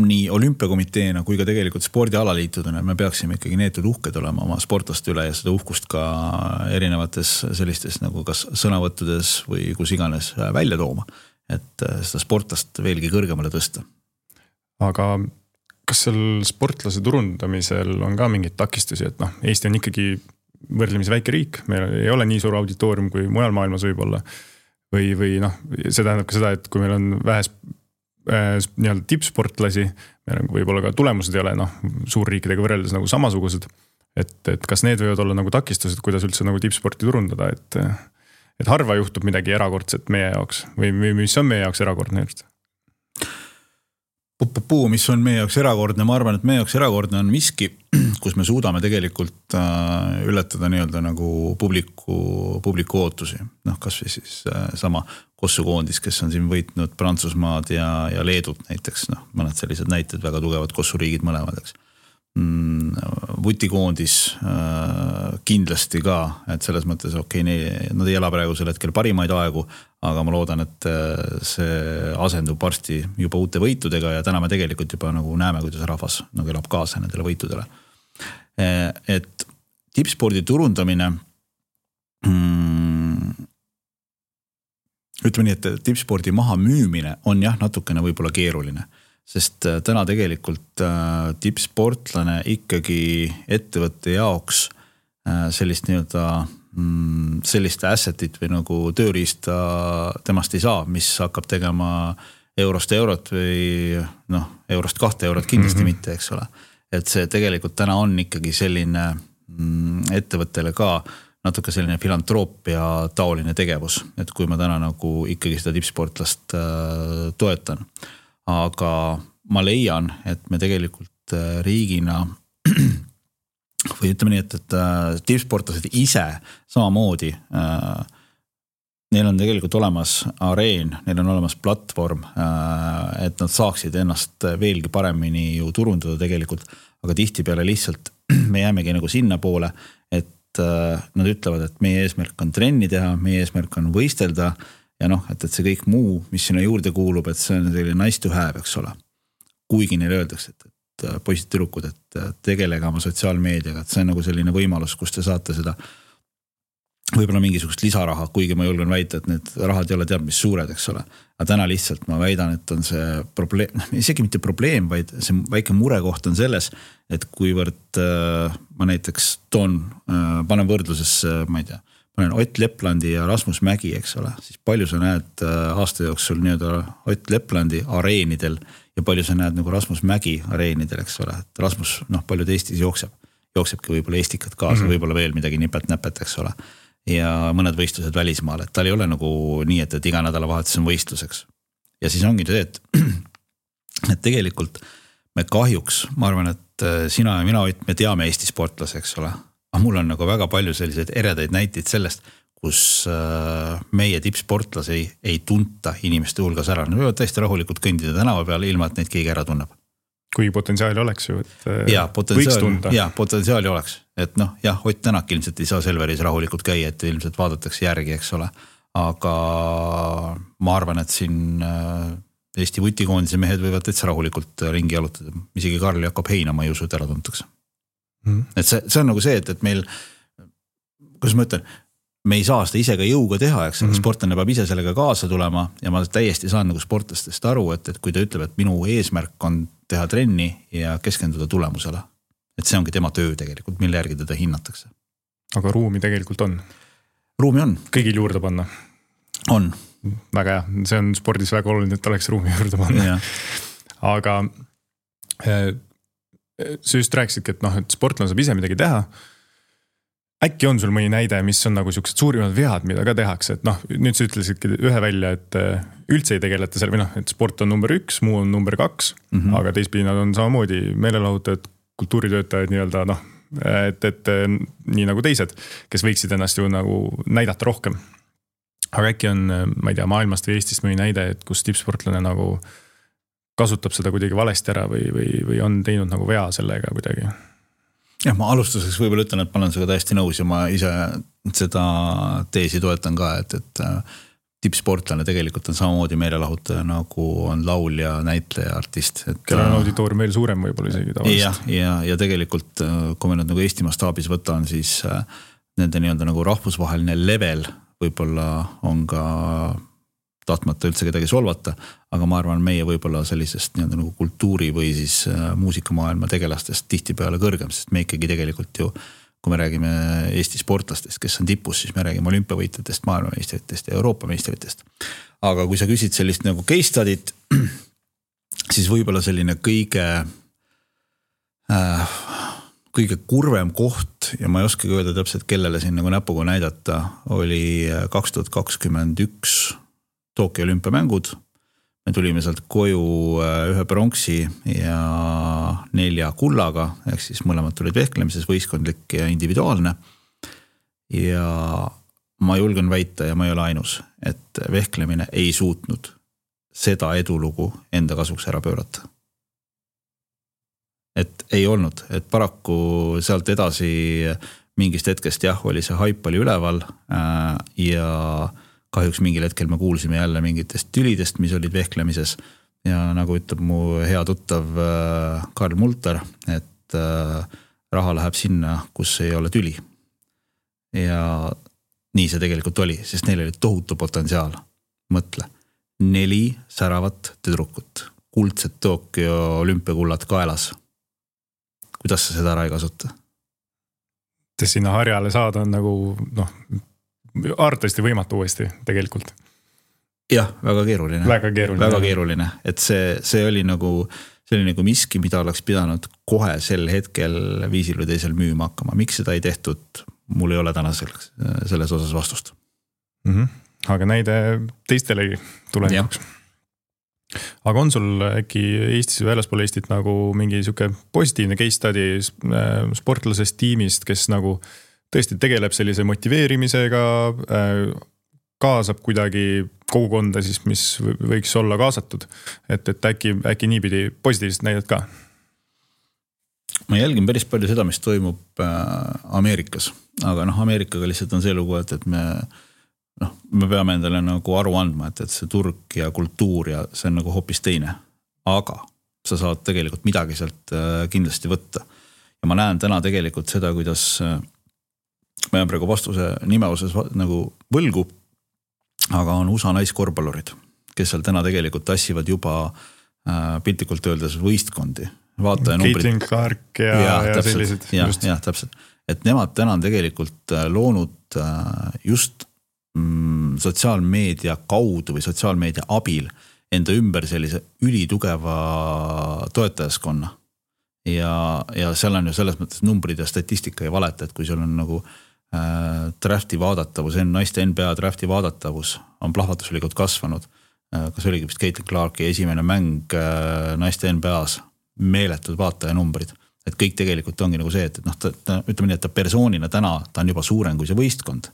nii olümpiakomiteena kui ka tegelikult spordialaliitudena me peaksime ikkagi neetud uhked olema oma sportlaste üle ja seda uhkust ka erinevates sellistes nagu kas sõnavõttudes või kus iganes välja tooma, et seda sportlast veelgi kõrgemale tõsta. Aga kas seal sportlase turundamisel on ka mingeid takistusi, et Eesti on ikkagi võrdlemisi väike riik, meil ei ole nii suur auditoorium kui mujal maailmas võib olla või see tähendab ka seda, et kui meil on vähes nii-öelda tippsportlasi, meil võib-olla ka tulemused ei ole suurriikidega võrreldes nagu samasugused, et kas need võivad olla nagu takistused, kuidas üldse nagu tippsporti turundada, et harva juhtub midagi erakordset meie jaoks või mis on meie jaoks erakordne just? Mis on meie jaoks erakordne, ma arvan, et meie jaoks erakordne on miski, kus me suudame tegelikult ületada nii-öelda nagu publiku ootusi. Noh, kas või siis sama kossukoondis, kes on siin võitnud Prantsusmaad ja Leedut näiteks, noh, mõned sellised näited, väga tugevad kossuriigid mõlemad, eks. Vutikoondis kindlasti ka, et selles mõttes nad ei ela praegu sel hetkel parimaid aegu, aga ma loodan, et see asendub varsti juba uute võitudega ja täna me tegelikult juba nagu näeme, kuidas rahvas nagu elab kaasa nendele võitudele. Et tippspordi turundamine, ütleme nii, et tippspordi maha müümine on jah, natukene võib-olla keeruline. Sest täna tegelikult tippsportlane ikkagi ettevõtte jaoks sellist nii-öelda sellist assetit või nagu tööriista temast ei saa, mis hakkab tegema eurost eurot või noh, eurost 2 eurot kindlasti mitte, eks ole. Et see tegelikult täna on ikkagi selline ettevõttele ka natuke selline filantroopia taoline tegevus, et kui ma täna nagu ikkagi seda tippsportlast toetan. Aga ma leian, et me tegelikult riigina või ütleme nii, et tippsportlased ise samamoodi, neil on tegelikult olemas areen, neil on olemas platvorm, et nad saaksid ennast veelgi paremini ju turundada tegelikult, aga tihtipeale lihtsalt me jäämegi nagu sinna poole, et nad ütlevad, et meie eesmärk on trenni teha, meie eesmärk on võistelda ja noh, et see kõik muu, mis sinna juurde kuulub, et see on selline nice to have, eks ole. Kuigi neile öeldakse, et poisid tüdrukud, et tegelega oma sotsiaalmeediaga, et see on nagu selline võimalus, kus te saate seda võib-olla mingisugust lisaraha, kuigi ma julgen väita, et need rahad ei ole teab mis suured, eks ole. Aga täna lihtsalt ma väidan, et on see probleem, isegi mitte probleem, vaid see väike murekoht on selles, et kuivõrd ma näiteks panen võrdlusesse, ma ei tea, panen Ott Leplandi ja Rasmus Mägi, eks ole, siis palju sa näed aasta jooksul nii-öelda Ott Leplandi areenidel ja palju sa näed nagu Rasmus Mägi areenidel, eks ole, et Rasmus, noh, paljud Eestis jooksebki võib-olla eestikat kaasa, võib-olla veel midagi nipet-näpet, eks ole, ja mõned võistlused välismaal, et tal ei ole nagu nii, et iga nädalavahetus on võistluseks. Ja siis ongi see, et tegelikult me kahjuks, ma arvan, et sina ja mina, Ott, me teame Eesti sportlase, eks ole, aga mul on nagu väga palju selliseid eredaid näiteid sellest, kus meie tippsportlasi ei tunta inimeste hulgas ära. Nad võivad täiesti rahulikult kõndida tänava peal, ilma et neid keegi ära tunneb. Kui potentsiaali oleks ju, et võiks tunda. Ja, potentsiaali oleks. Et noh, jah, Ott Tänak ilmselt ei saa Selveris rahulikult käia, et ilmselt vaadatakse järgi, eks ole. Aga ma arvan, et siin Eesti vutikoondise mehed võivad täitsa rahulikult ringi jalutada. Isegi Karl Jakob Heina, ma ei usu, et ära tuntakse. Et see on nagu see, et meil, kuidas ma ütlen, me ei saa seda ise ka jõuga teha, eks sportlane peab ise sellega kaasa tulema ja ma täiesti saan nagu sportlastest aru, et kui ta ütleb, et minu eesmärk on teha trenni ja keskenduda tulemusele. Et see ongi tema töö tegelikult, mille järgi teda hinnatakse. Aga ruumi tegelikult on? Ruumi on. Kõigil juurde panna? On. Väga hea, see on spordis väga oluline, et oleks ruumi juurde panna. Ja. Aga sa just rääkisidki, et noh, et sportlane saab ise midagi teha. Äkki on sul mõni näide, mis on nagu sellised suurimad vead, mida ka tehakse, et noh, nüüd sa ütlesidki ühe välja, et üldse ei tegeleta seal, või noh, et sport on number 1, muu on number 2, aga teistpidi nad on samamoodi meelelahutajad, kultuuritöötajad nii-öelda, noh, et nii nagu teised, kes võiksid ennast ju nagu näidata rohkem. Aga äkki on, ma ei tea, maailmast või Eestist mõni näide, et kus tippsportlane nagu kasutab seda kuidagi valesti ära või on teinud nagu vea sellega kuidagi? Jah, ma alustuseks võib-olla ütlen, et ma olen seda täiesti nõus ja ma ise seda teesi toetan ka, et tippsportlane tegelikult on samamoodi meelelahutaja, nagu on laulja, näitleja, artist. Kellel on auditoorium veel suurem võib-olla isegi tavalist. Ja tegelikult, kui me nüüd nagu Eesti mastaabis võtan, siis nende nii-öelda nagu rahvusvaheline level võib-olla on ka tahtmata üldse kedagi solvata, aga ma arvan, meie võib-olla sellisest nii-öelda nagu kultuuri või siis muusikamaailma tegelastest tihtipeale kõrgem, sest me ikkagi tegelikult ju, kui me räägime Eesti sportlastest, kes on tipus, siis me räägime olümpiavõitjatest, maailmameistritest ja Euroopa meistritest. Aga kui sa küsid sellist nagu case study't, siis võib-olla selline kõige kurvem koht ja ma ei oskagi öelda täpselt, kellele siin nagu näpuga näidata, oli 2021 Tokyo olümpiamängud. me tulime sealt koju ühe pronksi ja 4 kullaga, ehk siis mõlemad tulid vehklemises, võistkondlik ja individuaalne. Ja ma julgen väita ja ma ei ole ainus, et vehklemine ei suutnud seda edulugu enda kasuks ära pöörata. Et ei olnud, et paraku sealt edasi mingist hetkest oli see haip oli üleval ja kahjuks mingil hetkel me kuulsime jälle mingitest tülidest, mis olid vehklemises ja nagu ütleb mu hea tuttav Karl Multer, et raha läheb sinna, kus ei ole tüli. Ja nii see tegelikult oli, sest neil oli tohutu potentsiaal. Mõtle, 4 säravat tüdrukut, kuldset Tokyo olümpiakullad kaelas. Kuidas sa seda ära ei kasuta? Sinna harjale saada on nagu, arvatavasti võimatu uuesti tegelikult. Jah, väga keeruline. Väga keeruline. Et see oli nagu miski, mida oleks pidanud kohe sel hetkel viisil või teisel müüma hakkama. Miks seda ei tehtud? Mul ei ole täna selles osas vastust. Aga näide teistelegi tulevikuks. Aga on sul äkki Eestis või väljaspool Eestit nagu mingi siuke positiivne case study sportlasest tiimist, kes nagu tõesti tegeleb sellise motiveerimisega, kaasab kuidagi kogukonda siis, mis võiks olla kaasatud, et äkki niipidi positiivset näidet ka? Ma jälgin päris palju seda, mis toimub Ameerikas, aga Ameerikaga lihtsalt on see lugu, et me peame endale nagu aru andma, et see turg ja kultuur ja see on nagu hoopis teine, aga sa saad tegelikult midagi sealt kindlasti võtta. Ja ma näen täna tegelikult seda, kuidas ma jään praegu vastuse nime osas nagu võlgu, aga on USA naiskorvpallurid, kes seal täna tegelikult tassivad juba piltlikult öeldes võistkondi. Caitlin Clark ja sellised. Ja, täpselt. Et nemad täna on tegelikult loonud just sotsiaalmeedia kaudu või sotsiaalmeedia abil enda ümber sellise ülitugeva toetajaskonna. Ja seal on ju selles mõttes numbrid ja statistika ei valeta, et kui sul on nagu drafti vaadatavus, naiste NBA drafti vaadatavus on plahvatuslikult kasvanud. Kas oligi vist Caitlin Clarki esimene mäng naiste NBA-s, meeletud vaataja numbrid. Et kõik tegelikult ongi nagu see, et ütleme nii, et ta persoonina täna, ta on juba suurem kui see võistkond.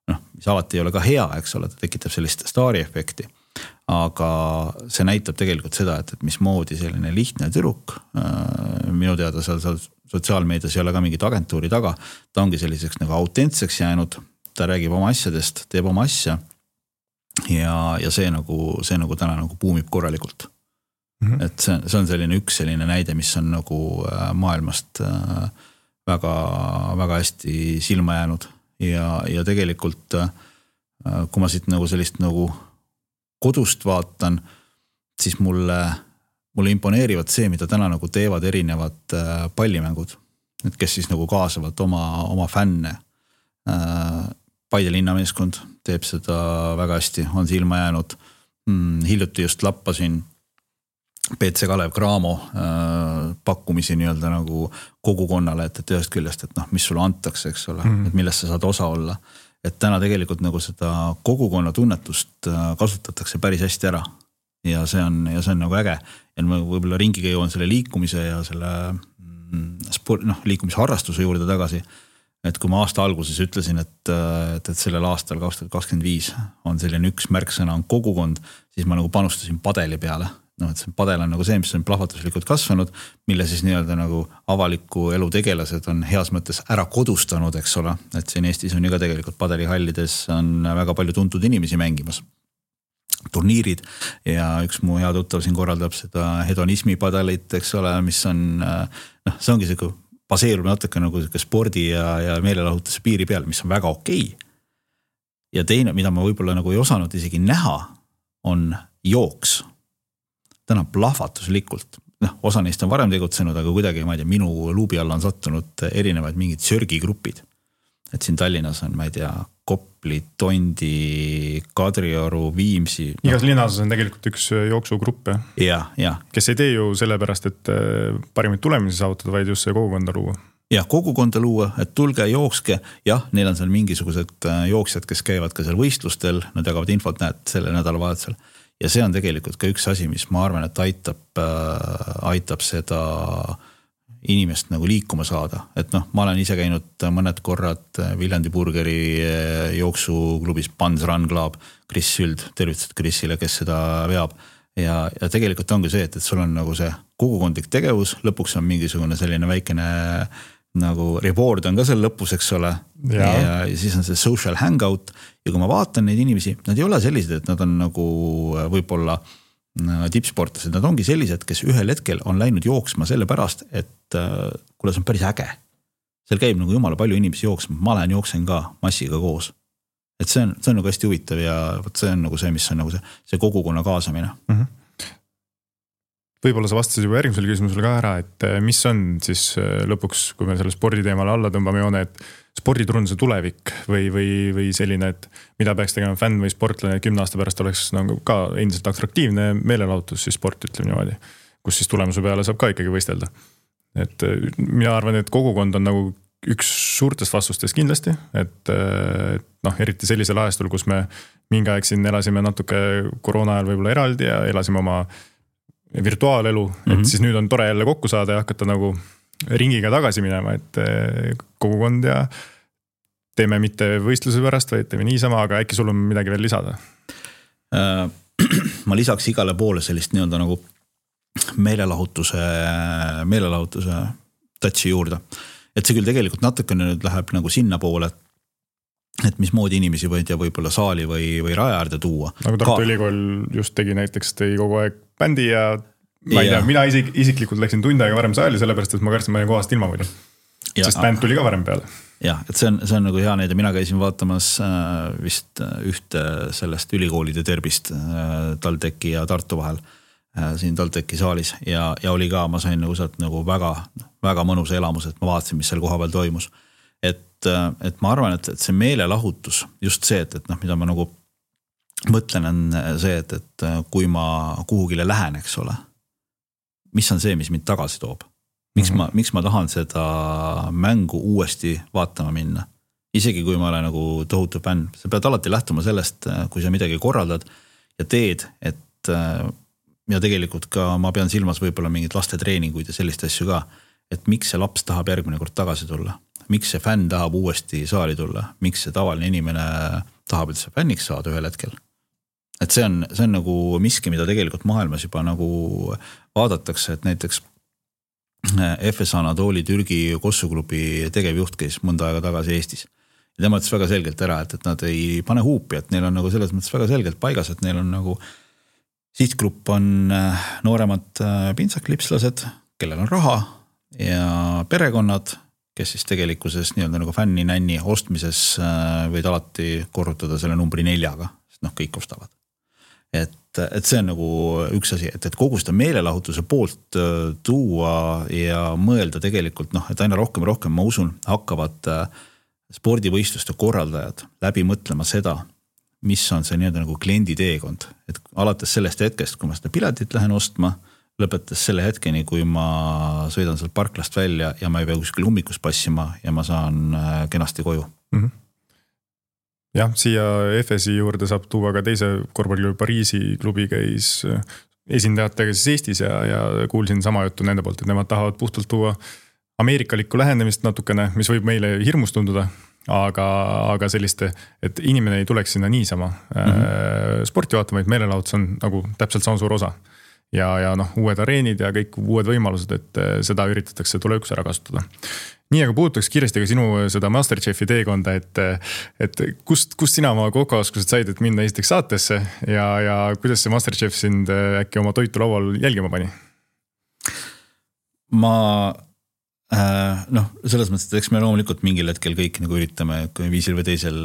Mis alati ei ole ka hea, eks ole, ta tekitab sellist staari efekti, aga see näitab tegelikult seda, et mis moodi selline lihtne tüdruk, minu teada seal sotsiaalmeedias ei ole ka mingit agentuuri taga, ta ongi selliseks nagu autentseks jäänud, ta räägib oma asjadest, teeb oma asja ja see nagu täna nagu puumib korralikult. Et see on selline üks selline näide, mis on nagu maailmast väga, väga hästi silma jäänud. Ja tegelikult, kui ma siit nagu sellist nagu kodust vaatan, siis mulle imponeerivad see, mida täna nagu teevad erinevad pallimängud, et kes siis nagu kaasavad oma fänne. Paide linnameeskond teeb seda väga hästi, on silma jäänud. Hiljuti just lappasin PC Kalev Cramo pakkumisi nii-öelda nagu kogukonnale, et ühest küljest, et mis sulle antakse, eks ole, et millest sa saad osa olla. Et täna tegelikult nagu seda kogukonna tunnetust kasutatakse päris hästi ära ja see on nagu äge. Ja ma võib-olla ringiga jõuan selle liikumise ja selle liikumisharrastuse juurde tagasi. Et kui ma aasta alguses ütlesin, et sellel aastal 2025 on selline üks märksõna on kogukond, siis ma nagu panustasin padeli peale. Et see padel on nagu see, mis on plahvatuslikult kasvanud, mille siis nii-öelda nagu avaliku elu tegelased on heas mõttes ära kodustanud, eks ole. Et siin Eestis on ju ka tegelikult padelihallides on väga palju tuntud inimesi mängimas. Turniirid ja üks mu hea tuttav siin korraldab seda hedonismi padelit, eks ole, mis on, see ongi see baseerub natuke nagu spordi ja meelelahutuse piiri peal, mis on väga okei. Ja teine, mida ma võib-olla nagu ei osanud isegi näha, on jooks. Täna plahvatuslikult. Osa neist on varem tegutsenud, aga kuidagi, ma ei tea, minu luubi alla on sattunud erinevaid mingid sörgigrupid. Et siin Tallinnas on, ma ei tea, Kopli, Tondi, Kadrioru, Viimsi. Igas linnas on tegelikult üks jooksugrupp, ja. Kes ei tee ju sellepärast, et parimaid tulemisi saavutada, vaid just see kogukonda luua. Ja kogukonda luua, et tulge jookske. Jah, neil on seal mingisugused jooksjad, kes käivad ka seal võistlustel, nad jagavad infot, näed selle nädalavahetusel. ja see on tegelikult ka üks asi, mis ma arvan, et aitab seda inimest nagu liikuma saada, et noh, ma olen ise käinud mõned korrad Viljandi Burgeri jooksuklubis Pans Run Club, Kris Süld, tervitused Krisile, kes seda veab ja tegelikult ongi see, et sul on nagu see kogukondlik tegevus, lõpuks on mingisugune selline väikene nagu reward on ka seal lõpus, eks ole ja siis on see social hangout ja kui ma vaatan neid inimesi, nad ei ole sellised, et nad on nagu võib-olla tippsportlased, nad ongi sellised, kes ühel hetkel on läinud jooksma selle pärast, et kuule, see on päris äge. Seal käib nagu jumala palju inimesi jooksma, ma jooksen ka massiga koos. Et see on nagu hästi huvitav ja see on nagu see, mis on nagu see kogukonna kaasamine. Võib-olla sa vastasid juba järgmisele küsimusele ka ära, et mis on siis lõpuks, kui me selle sporditeemale alla tõmbame joone, et sporditurunduse tulevik või selline, et mida peaks tegema fänn või sportlane 10 aasta pärast oleks nagu ka endiselt atraktiivne meelelahutus siis sport, ütleme niimoodi, kus siis tulemuse peale saab ka ikkagi võistelda. Et mina arvan, et kogukond on nagu üks suurtest vastustest kindlasti, et eriti sellisel ajastul, kus me mingi aeg siin elasime natuke koroona ajal võib-olla eraldi ja elasime oma virtuaalelu, et siis nüüd on tore jälle kokku saada ja hakata nagu ringiga tagasi minema, et kogukond ja teeme mitte võistluse pärast, vaid teeme niisama, aga äkki sul on midagi veel lisada? Ma lisaks igale poole sellist nii-öelda nagu meelelahutuse touchi juurde. Et see küll tegelikult natukene nüüd läheb nagu sinna poole, et mismoodi inimesi võid ja võib-olla saali või raja äärde tuua. Nagu Tartu Ülikool just tegi näiteks, tõi kogu aeg bändi ja ma ei tea, mina isiklikult läksin tund aega varem saali, sellepärast, et ma kartsin ma kohast ilma muidu. Sest bänd tuli ka varem peale. Jah, et see on nagu hea näide, mina käisin vaatamas vist ühte sellest ülikoolide terbist TalTechi ja Tartu vahel siin TalTechi saalis ja oli ka, ma sain nagu sealt nagu väga mõnus elamus, et ma vaatasin, mis seal koha peal toimus. Et ma arvan, et see meelelahutus, just see, et mida ma nagu mõtlen on see, et kui ma kuhugile lähen, eks ole, mis on see, mis mind tagasi toob? Miks ma tahan seda mängu uuesti vaatama minna? Isegi kui ma olen nagu tohutu fänn, sa pead alati lähtuma sellest, kui sa midagi korraldad ja teed, et ja tegelikult ka ma pean silmas võib-olla mingid laste treeninguid ja sellist asju ka, et miks see laps tahab järgmine kord tagasi tulla? Miks see fänn tahab uuesti saali tulla? Miks see tavaline inimene tahab üldse fänniks saada ühel hetkel? Et see on nagu miski, mida tegelikult maailmas juba nagu vaadatakse, et näiteks FS Anatoli Türgi kossuklubi tegevjuht käis mõnda aega tagasi Eestis. Ja tema ütles väga selgelt ära, et nad ei pane huupi, et neil on nagu selles mõttes väga selgelt paigas, et neil on nagu sihtgrupp on nooremad pintsaklipslased, kellel on raha ja perekonnad, kes siis tegelikkuses nii-öelda nagu fänni-nänni ostmises võid alati korrutada selle numbri 4-ga, sest kõik ostavad. Et see on nagu üks asi, et kogu seda meelelahutuse poolt tuua ja mõelda tegelikult, et aina rohkem ja rohkem, ma usun, hakkavad spordivõistluste korraldajad läbi mõtlema seda, mis on see nii-öelda nagu kliendi teekond. Et alates sellest hetkest, kui ma seda piletit lähen ostma, lõpetas selle hetkeni, kui ma sõidan sealt parklast välja ja ma ei pea kuskil ummikus passima ja ma saan kenasti koju. Jah, siia FSi juurde saab tuua ka teise korvpalliklubi Pariisi klubi käis esindajatega siis Eestis ja kuulsin sama juttu nende poolt, et nemad tahavad puhtalt tuua ameerikalikku lähenemist natukene, mis võib meile hirmus tunduda, aga selliste, et inimene ei tuleks sinna niisama. Sporti vaatama, et meelelahutus on nagu täpselt sama suur osa. Ja uued areenid ja kõik uued võimalused, et seda üritatakse tulevikus ära kasutada. Nii, aga puudutaks kiiresti ka sinu seda Masterchefi teekonda, et kust sina oma kokaoskused said, et minna esiteks saatesse ja kuidas see Masterchef sind äkki oma toitu laual jälgima pani? Ma selles mõttes, et eks me loomulikult mingil hetkel kõik nagu üritame viisil või teisel,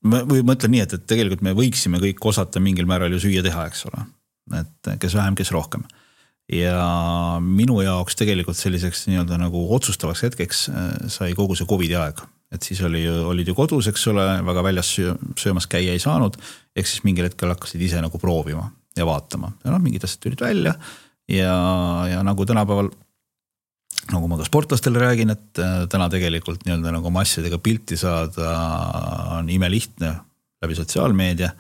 või mõtlen nii, et tegelikult me võiksime kõik osata mingil määral ju süüa teha, eks ole. Et kes vähem, kes rohkem. Ja minu jaoks tegelikult selliseks nii-öelda nagu otsustavaks hetkeks sai kogu see COVID aeg. Et siis olid ju kodus, eks ole, väga väljas söömas käia ei saanud, ehk siis mingil hetkel hakkasid ise nagu proovima ja vaatama. Ja mingid asjad tulid välja ja nagu tänapäeval, nagu ma ka sportlastele räägin, et täna tegelikult nii-öelda nagu oma asjadega pilti saada on imelihtne läbi sotsiaalmeedia.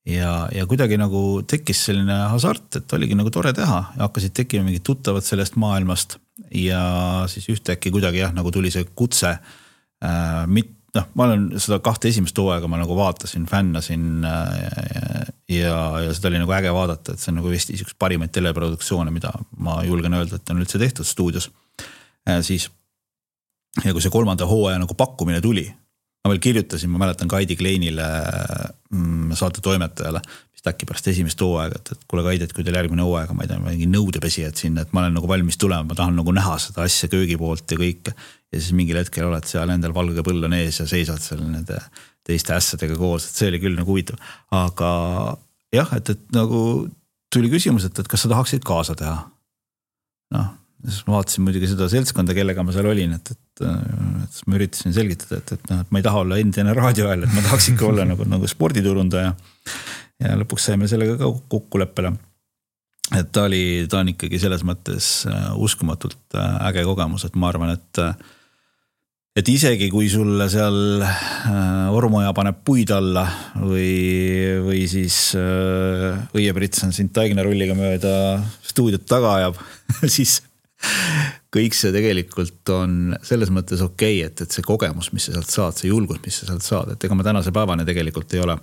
ja kuidagi nagu tekkis selline hasart, et oligi nagu tore teha ja hakkasid tekkima mingid tuttavad sellest maailmast ja siis ühtäkki kuidagi nagu tuli see kutse. Ma olen seda 2 esimest hooaega ma nagu vaatasin, fännasin ja seda oli nagu äge vaadata, et see on nagu Eesti üks parimaid teleproduktsioone, mida ma julgen öelda, et on üldse tehtud stuudios. Siis, ja kui see 3. hooaja nagu pakkumine tuli, ma veel kirjutasin, ma mäletan Kaidi Kleinile saate toimetajale, mis äkki pärast esimest hooaega, et kuule Kaidi, et kui teil järgmine hooaega, ma ei tea, mingi nõudepesijad siin, et ma olen nagu valmis tulema, ma tahan nagu näha seda asja köögi poolt ja kõike. Ja siis mingil hetkel oled seal endal valge põll on ees ja seisad seal nende teiste ässadega koos, et see oli küll nagu huvitav. Aga jah, et nagu tuli küsimus, et kas sa tahaksid kaasa teha? Siis ma vaatasin muidugi seda seltskonda, kellega ma seal olin, et ma üritasin selgitada, et ma ei taha olla endine raadioajal, et ma tahaks ikka olla nagu sporditurundaja ja lõpuks saime sellega ka kokkuleppele. Et ta on ikkagi selles mõttes uskumatult äge kogemus, et ma arvan, et isegi kui sulle seal ormoja paneb puid alla või siis õieprits on sind taignarulliga mööda stuudiot taga ajab, siis kõik see tegelikult on selles mõttes okei, et see kogemus, mis sa sealt saad, see julgus, mis sa sealt saad, et ega ma tänase päevane tegelikult ei ole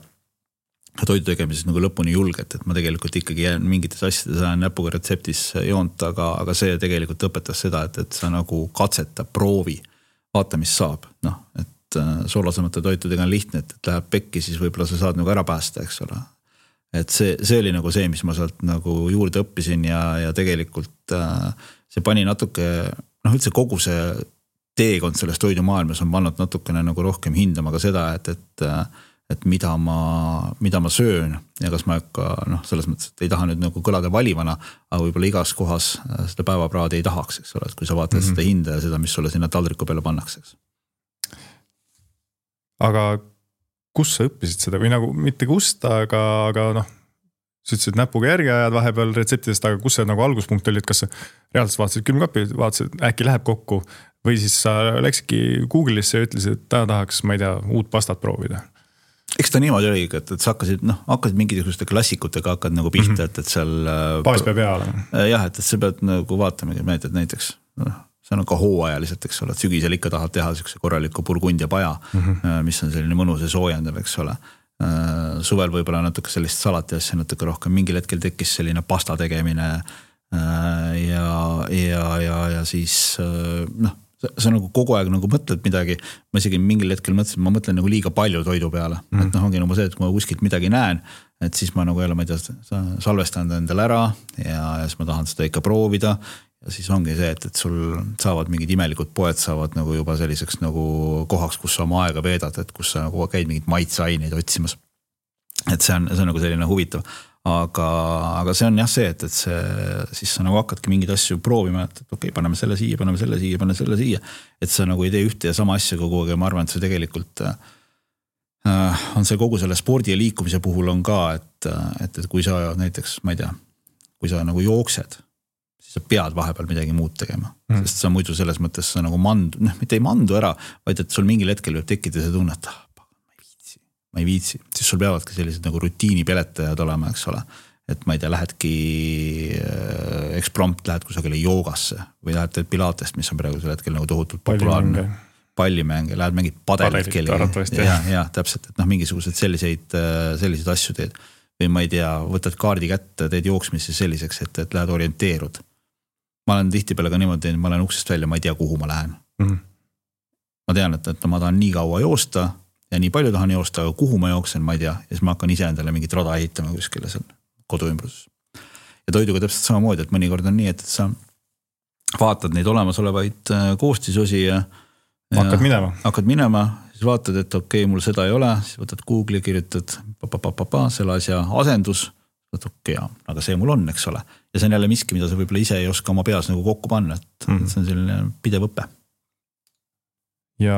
toidu tegemises nagu lõpuni julget, et ma tegelikult ikkagi jään mingites asjades ajan näpuga retseptis joont, aga see tegelikult õpetas seda, et sa nagu katseta, proovi, vaata, mis saab. Et soolasemate toitudega on lihtne, et läheb pekki, siis võib-olla sa saad nagu ära päästa, eks ole. Et see oli nagu see, mis ma sealt nagu juurde õppisin ja tegelikult see pani natuke, üldse kogu see teekond selles toidumaailmas on pannud natukene nagu rohkem hindama ka seda, et mida ma söön ja kas ma selles mõttes, et ei taha nüüd nagu kõlada valivana, aga võib-olla igas kohas seda päevapraadi ei tahaks, eks ole, et kui sa vaatad seda hinda ja seda, mis sulle sinna taldriku peale pannakse. Aga kus sa õppisid seda või nagu mitte kust, aga sa ütlesid näpuga järgi ajad vahepeal retseptidest, aga kus see nagu alguspunkt oli, et kas sa reaalselt vaatasid külmkapi, vaatasid äkki läheb kokku või siis sa läksidki Google'isse ja ütlesid, et tahaks, ma ei tea, uut pastat proovida? Eks ta niimoodi oli, et sa hakkasid mingisuguste klassikutega hakkad nagu pihta, et seal baas peab hea olema. Jah, et sa pead nagu vaatama, näiteks see on ka hooajaliselt, eks ole, et sügisel ikka tahad teha sellise korraliku burgundia paja, mis on selline mõnus ja soojendav, eks ole. Suvel võib-olla natuke sellist salati asja natuke rohkem, mingil hetkel tekkis selline pasta tegemine ja siis sa nagu kogu aeg nagu mõtled midagi, ma isegi mingil hetkel mõtlesin, ma mõtlen nagu liiga palju toidu peale, et ongi nagu see, et kui ma kuskilt midagi näen, et siis ma nagu jälle, ma ei tea, salvestan endale ära ja siis ma tahan seda ikka proovida ja siis ongi see, et sul saavad mingid imelikud poed saavad nagu juba selliseks nagu kohaks, kus sa oma aega veedad, et kus sa nagu käid mingid maitseaineid otsimas. Et see on nagu selline huvitav. Aga see on jah see, et see, siis sa nagu hakkadki mingeid asju proovima, et okei, paneme selle siia, paneme selle siia. Et sa nagu ei tee ühte ja sama asja kogu aeg ja ma arvan, et see tegelikult on see kogu selle spordi ja liikumise puhul on ka, et kui sa näiteks, ma ei tea, kui sa nagu jooksed, siis sa pead vahepeal midagi muud tegema. Sest sa muidu selles mõttes sa nagu mitte ei mandu ära, vaid et sul mingil hetkel võib tekkida see tunne, et ma ei viitsi, siis sul peavadki sellised nagu rutiinipeletajad olema, eks ole. Et ma ei tea, lähedki eksprompt, lähed kusagile joogasse või lähed pilatest, mis on praegu selle hetkel nagu tohutult populaarne. Pallimänge, lähed mingid padelit kelli. Ja, täpselt, et mingisugused selliseid asju teed. Või ma ei tea, võtad kaardi kätte, teed jooksmisse selliseks, et lähed orienteerud. Ma olen tihtipeale ka niimoodi, ma olen uksest välja, ma ei tea, kuhu ma lähen. Ma tean, et ma tahan nii kaua joosta ja nii palju tahan joosta, aga kuhu ma jooksen, ma ei tea. Ja siis ma hakkan ise endale mingit rada ehitama kuskile seal koduümbruses. Ja toiduga täpselt samamoodi, et mõnikord on nii, et sa vaatad neid olemasolevaid koostisosi ja hakkad minema, siis vaatad, et okei, mul seda ei ole, siis võtad Google'i, kirjutad selle asja asendus, võtad okei, aga see mul on, eks ole. Ja see on jälle miski, mida sa võib-olla ise ei oska oma peas nagu kokku panna, et see on selline pidev õppe. Ja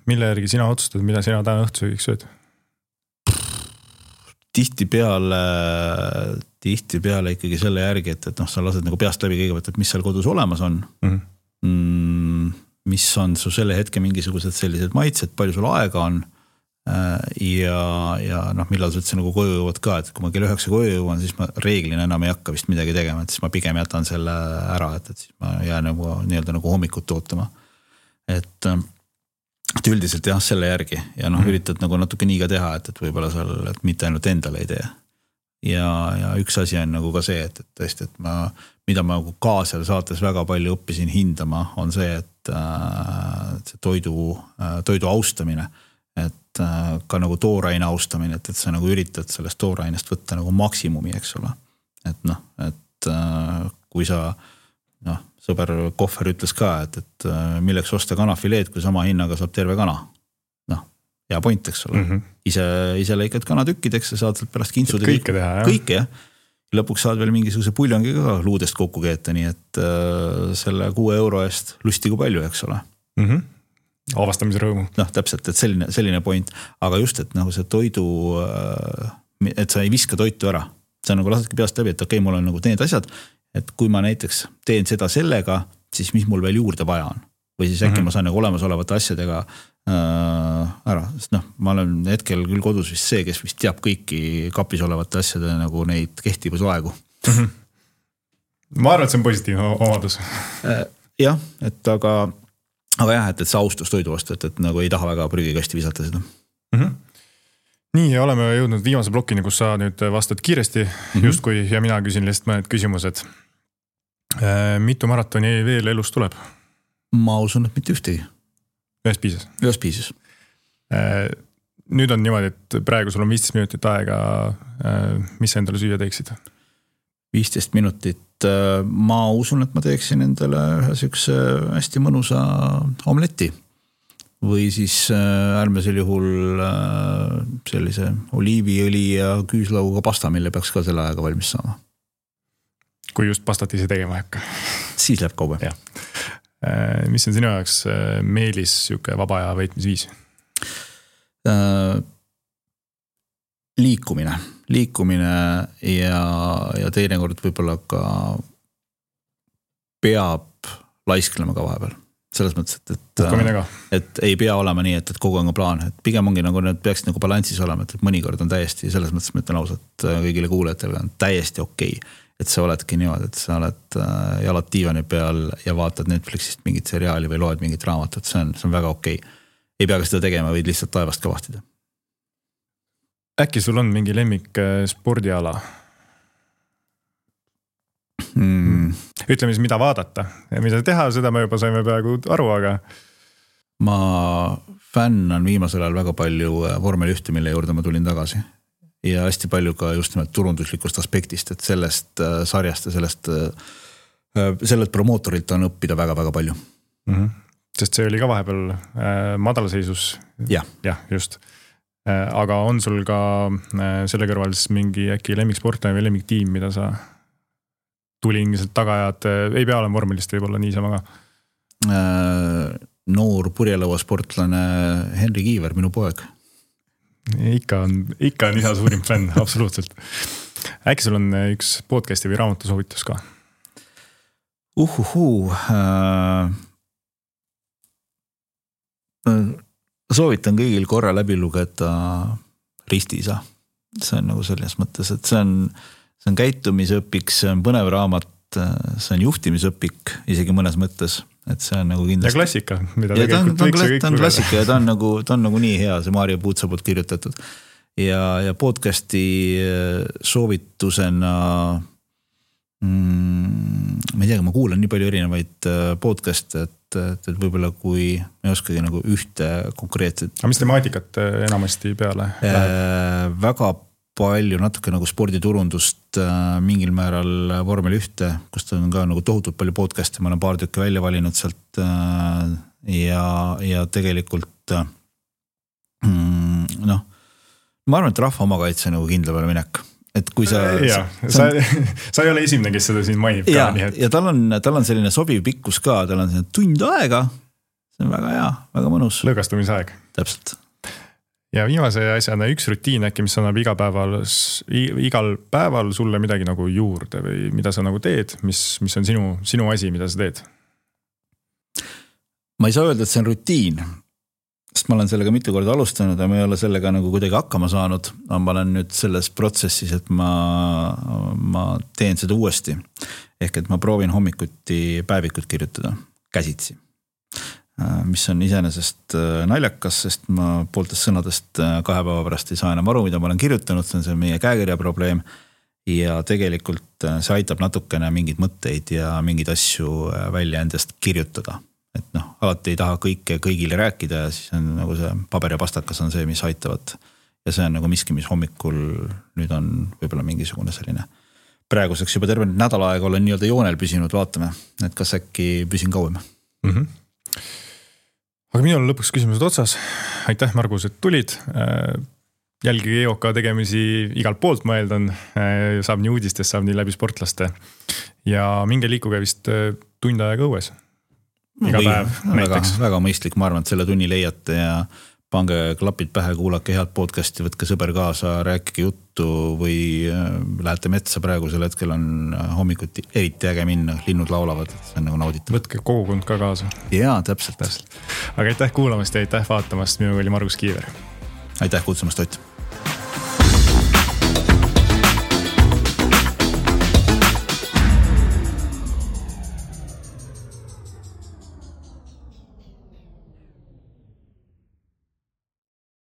mille järgi sina otsustad, mida sina täna õhtusöögiks sööd? Tihtipeale ikkagi selle järgi, et sa lased nagu peast läbi kõigepealt, et mis seal kodus olemas on. Mis on su selle hetke mingisugused sellised maitsed, palju sul aega on ja noh, millal sa üldse nagu koju jõuad ka, et kui ma kell 9 koju jõuan, siis ma reeglina enam ei hakka vist midagi tegema, et siis ma pigem jätan selle ära, et siis ma jään nagu nii-öelda nagu hommikut ootama. Et üldiselt jah, selle järgi ja noh, üritad nagu natuke nii ka teha, et võib-olla seal, et mitte ainult endale ei tee. Ja üks asi on nagu ka see, et tõesti, et mida ma nagu kaasel saates väga palju õppisin hindama, on see, et see toidu austamine, et ka nagu tooraine austamine, et sa nagu üritad sellest toorainest võtta nagu maksimumi, eks ole. Et noh, et kui sa, noh, sõber Kohver ütles ka, et milleks osta kanafileed, kui sama hinnaga saab terve kana. Noh, hea point, eks ole. Ise lõikad kanatükkideks ja saad sealt pärast kintsuda. Kõike teha, jah. Kõike, jah. Lõpuks saad veel mingisuguse puljongi ka luudest kokku keeta, nii et selle 6 euro eest lusti kui palju, eks ole. Avastamise rõõmu. Noh, täpselt, et selline point, aga just, et nagu see toidu, et sa ei viska toitu ära. Sa nagu lasedki peast läbi, et okei, mul on nagu need asjad, et kui ma näiteks teen seda sellega, siis mis mul veel juurde vaja on. Või siis äkki ma saan nagu olemasolevate asjadega ära, sest noh, ma olen hetkel küll kodus vist see, kes vist teab kõiki kapis olevate asjade nagu neid kehtivusaegu. Ma arvan, et see on positiivne omadus. Jah, et aga jah, et see austus toidu vastu, et nagu ei taha väga prügikasti visata seda. Nii, ja oleme jõudnud viimase blokini, kus sa nüüd vastad kiiresti, justkui ja mina küsin lihtsalt mõned küsimused. Mitu maratoni veel elus tuleb? Ma usun, et mitte ühtegi. Ühes piisas? Ühes piisas. Nüüd on niimoodi, et praegu sul on 15 minutit aega. Mis sa endale süüa teeksid? 15 minutit. Ma usun, et ma teeksin endale üks hästi mõnusa omletti. Või siis äärmisel juhul sellise oliiviõli ja küüslauguga pasta, mille peaks ka selle ajaga valmis saama. Kui just pastat ise tegema hakka. Siis läheb kaube. Mis on sinu jaoks meelis siuke vaba aja veetmisviis? Liikumine ja teinekord võib-olla ka peab laisklema ka vahepeal. Selles mõttes, et ei pea olema nii, et kogu aeg on plaan, et pigem ongi nagu need peaksid nagu balanssis olema, et mõnikord on täiesti, selles mõttes ma ütlen ausalt kõigile kuulajatele on täiesti okei, et sa oledki niimoodi, et sa oled jalad diivani peal ja vaatad Netflixist mingit seriaali või loed mingit raamatut, see on väga okei. Ei pea ka seda tegema, võid lihtsalt taevast ka vahtida. Äkki sul on mingi lemmik spordiala? Ütleme siis, mida vaadata ja mida teha, seda me juba saime peaaegu aru, aga ma fännan viimasel ajal väga palju vormel 1, mille juurde ma tulin tagasi ja hästi palju ka just nimelt turunduslikust aspektist, et sellest sarjast ja sellelt promootorilt on õppida väga-väga palju. Sest see oli ka vahepeal madalseisus. Jah, just. Aga on sul ka selle kõrval siis mingi äkki lemmiksportlane või lemmiktiim, mida sa tulingiselt tagajad, ei pea olema vormelist võib-olla niisama ka? Noor purjelõua sportlane Henri Kiiver, minu poeg. Ikka on isa suurim fänn, absoluutselt. Äkki sul on üks podcasti või raamatu soovitus ka? Soovitan kõigil korra läbi lugeda Ristiisa. See on nagu selles mõttes, et see on käitumisõpik, see on põnev raamat, see on juhtimisõpik isegi mõnes mõttes, et see on nagu kindlasti. Ja klassika, mida tegelikult võiks kõik lugeda. Klassika ja ta on nagu nii hea, see Maarja Puutsa poolt kirjutatud. Ja podcasti soovitusena, ma ei tea, ma kuulan nii palju erinevaid podcaste, et võib-olla kui me ei oskagi nagu ühte konkreetset. Aga mis temaatikat enamasti peale? Väga palju natuke nagu sporditurundust mingil määral vormel 1, kus on ka nagu tohutult palju podcast'e, ma olen paar tükki välja valinud sealt ja tegelikult noh, ma arvan, et rahva omakaitse nagu kindla peale minek. Et kui sa ei ole esimene, kes seda siin mainib ka. Ja tal on selline sobiv pikkus ka, tal on selline tund aega, see on väga hea, väga mõnus. Lõõgastumisaeg. Täpselt. Ja viimase asjana üks rutiin äkki, mis annab igal päeval sulle midagi nagu juurde või mida sa nagu teed, mis on sinu asi, mida sa teed? Ma ei saa öelda, et see on rutiin, sest ma olen sellega mitu korda alustanud ja ma ei ole sellega nagu kuidagi hakkama saanud. Ma olen nüüd selles protsessis, et ma teen seda uuesti. Ehk et ma proovin hommikuti päevikut kirjutada käsitsi. Mis on iseenesest naljakas, sest ma pooltest sõnadest 2 päeva pärast ei saa enam aru, mida ma olen kirjutanud. See on see meie käekirja probleem. Ja tegelikult see aitab natukene mingid mõtteid ja mingid asju välja endast kirjutada. Et alati ei taha kõike kõigile rääkida ja siis on nagu see paber ja pastakas on see, mis aitavad. Ja see on nagu miski, mis hommikul nüüd on võib-olla mingisugune selline. Praeguseks juba terve nädal aega olen nii-öelda joonel püsinud, vaatame, et kas äkki püsin kauem. Aga minul on lõpuks küsimused otsas. Aitäh, Margus, et tulid. Jälgige EOK tegemisi igalt poolt, ma eeldan. Saab nii uudistest, saab nii läbi sportlaste. Ja minge liikuge vist tund aega õues. Iga päev näiteks. Väga mõistlik, ma arvan, et selle tunni leiate ja pange klapid pähe, kuulake head podcasti, võtke sõber kaasa, rääkige juttu või lähete metsa praegusel hetkel on hommikuti eriti äge minna, linnud laulavad, see on nagu nauditav. Võtke kogukond ka kaasa. Jaa, täpselt. Aga aitäh kuulamast ja aitäh vaatamast, minuga oli Margus Kiiver. Aitäh kutsumast, Ott.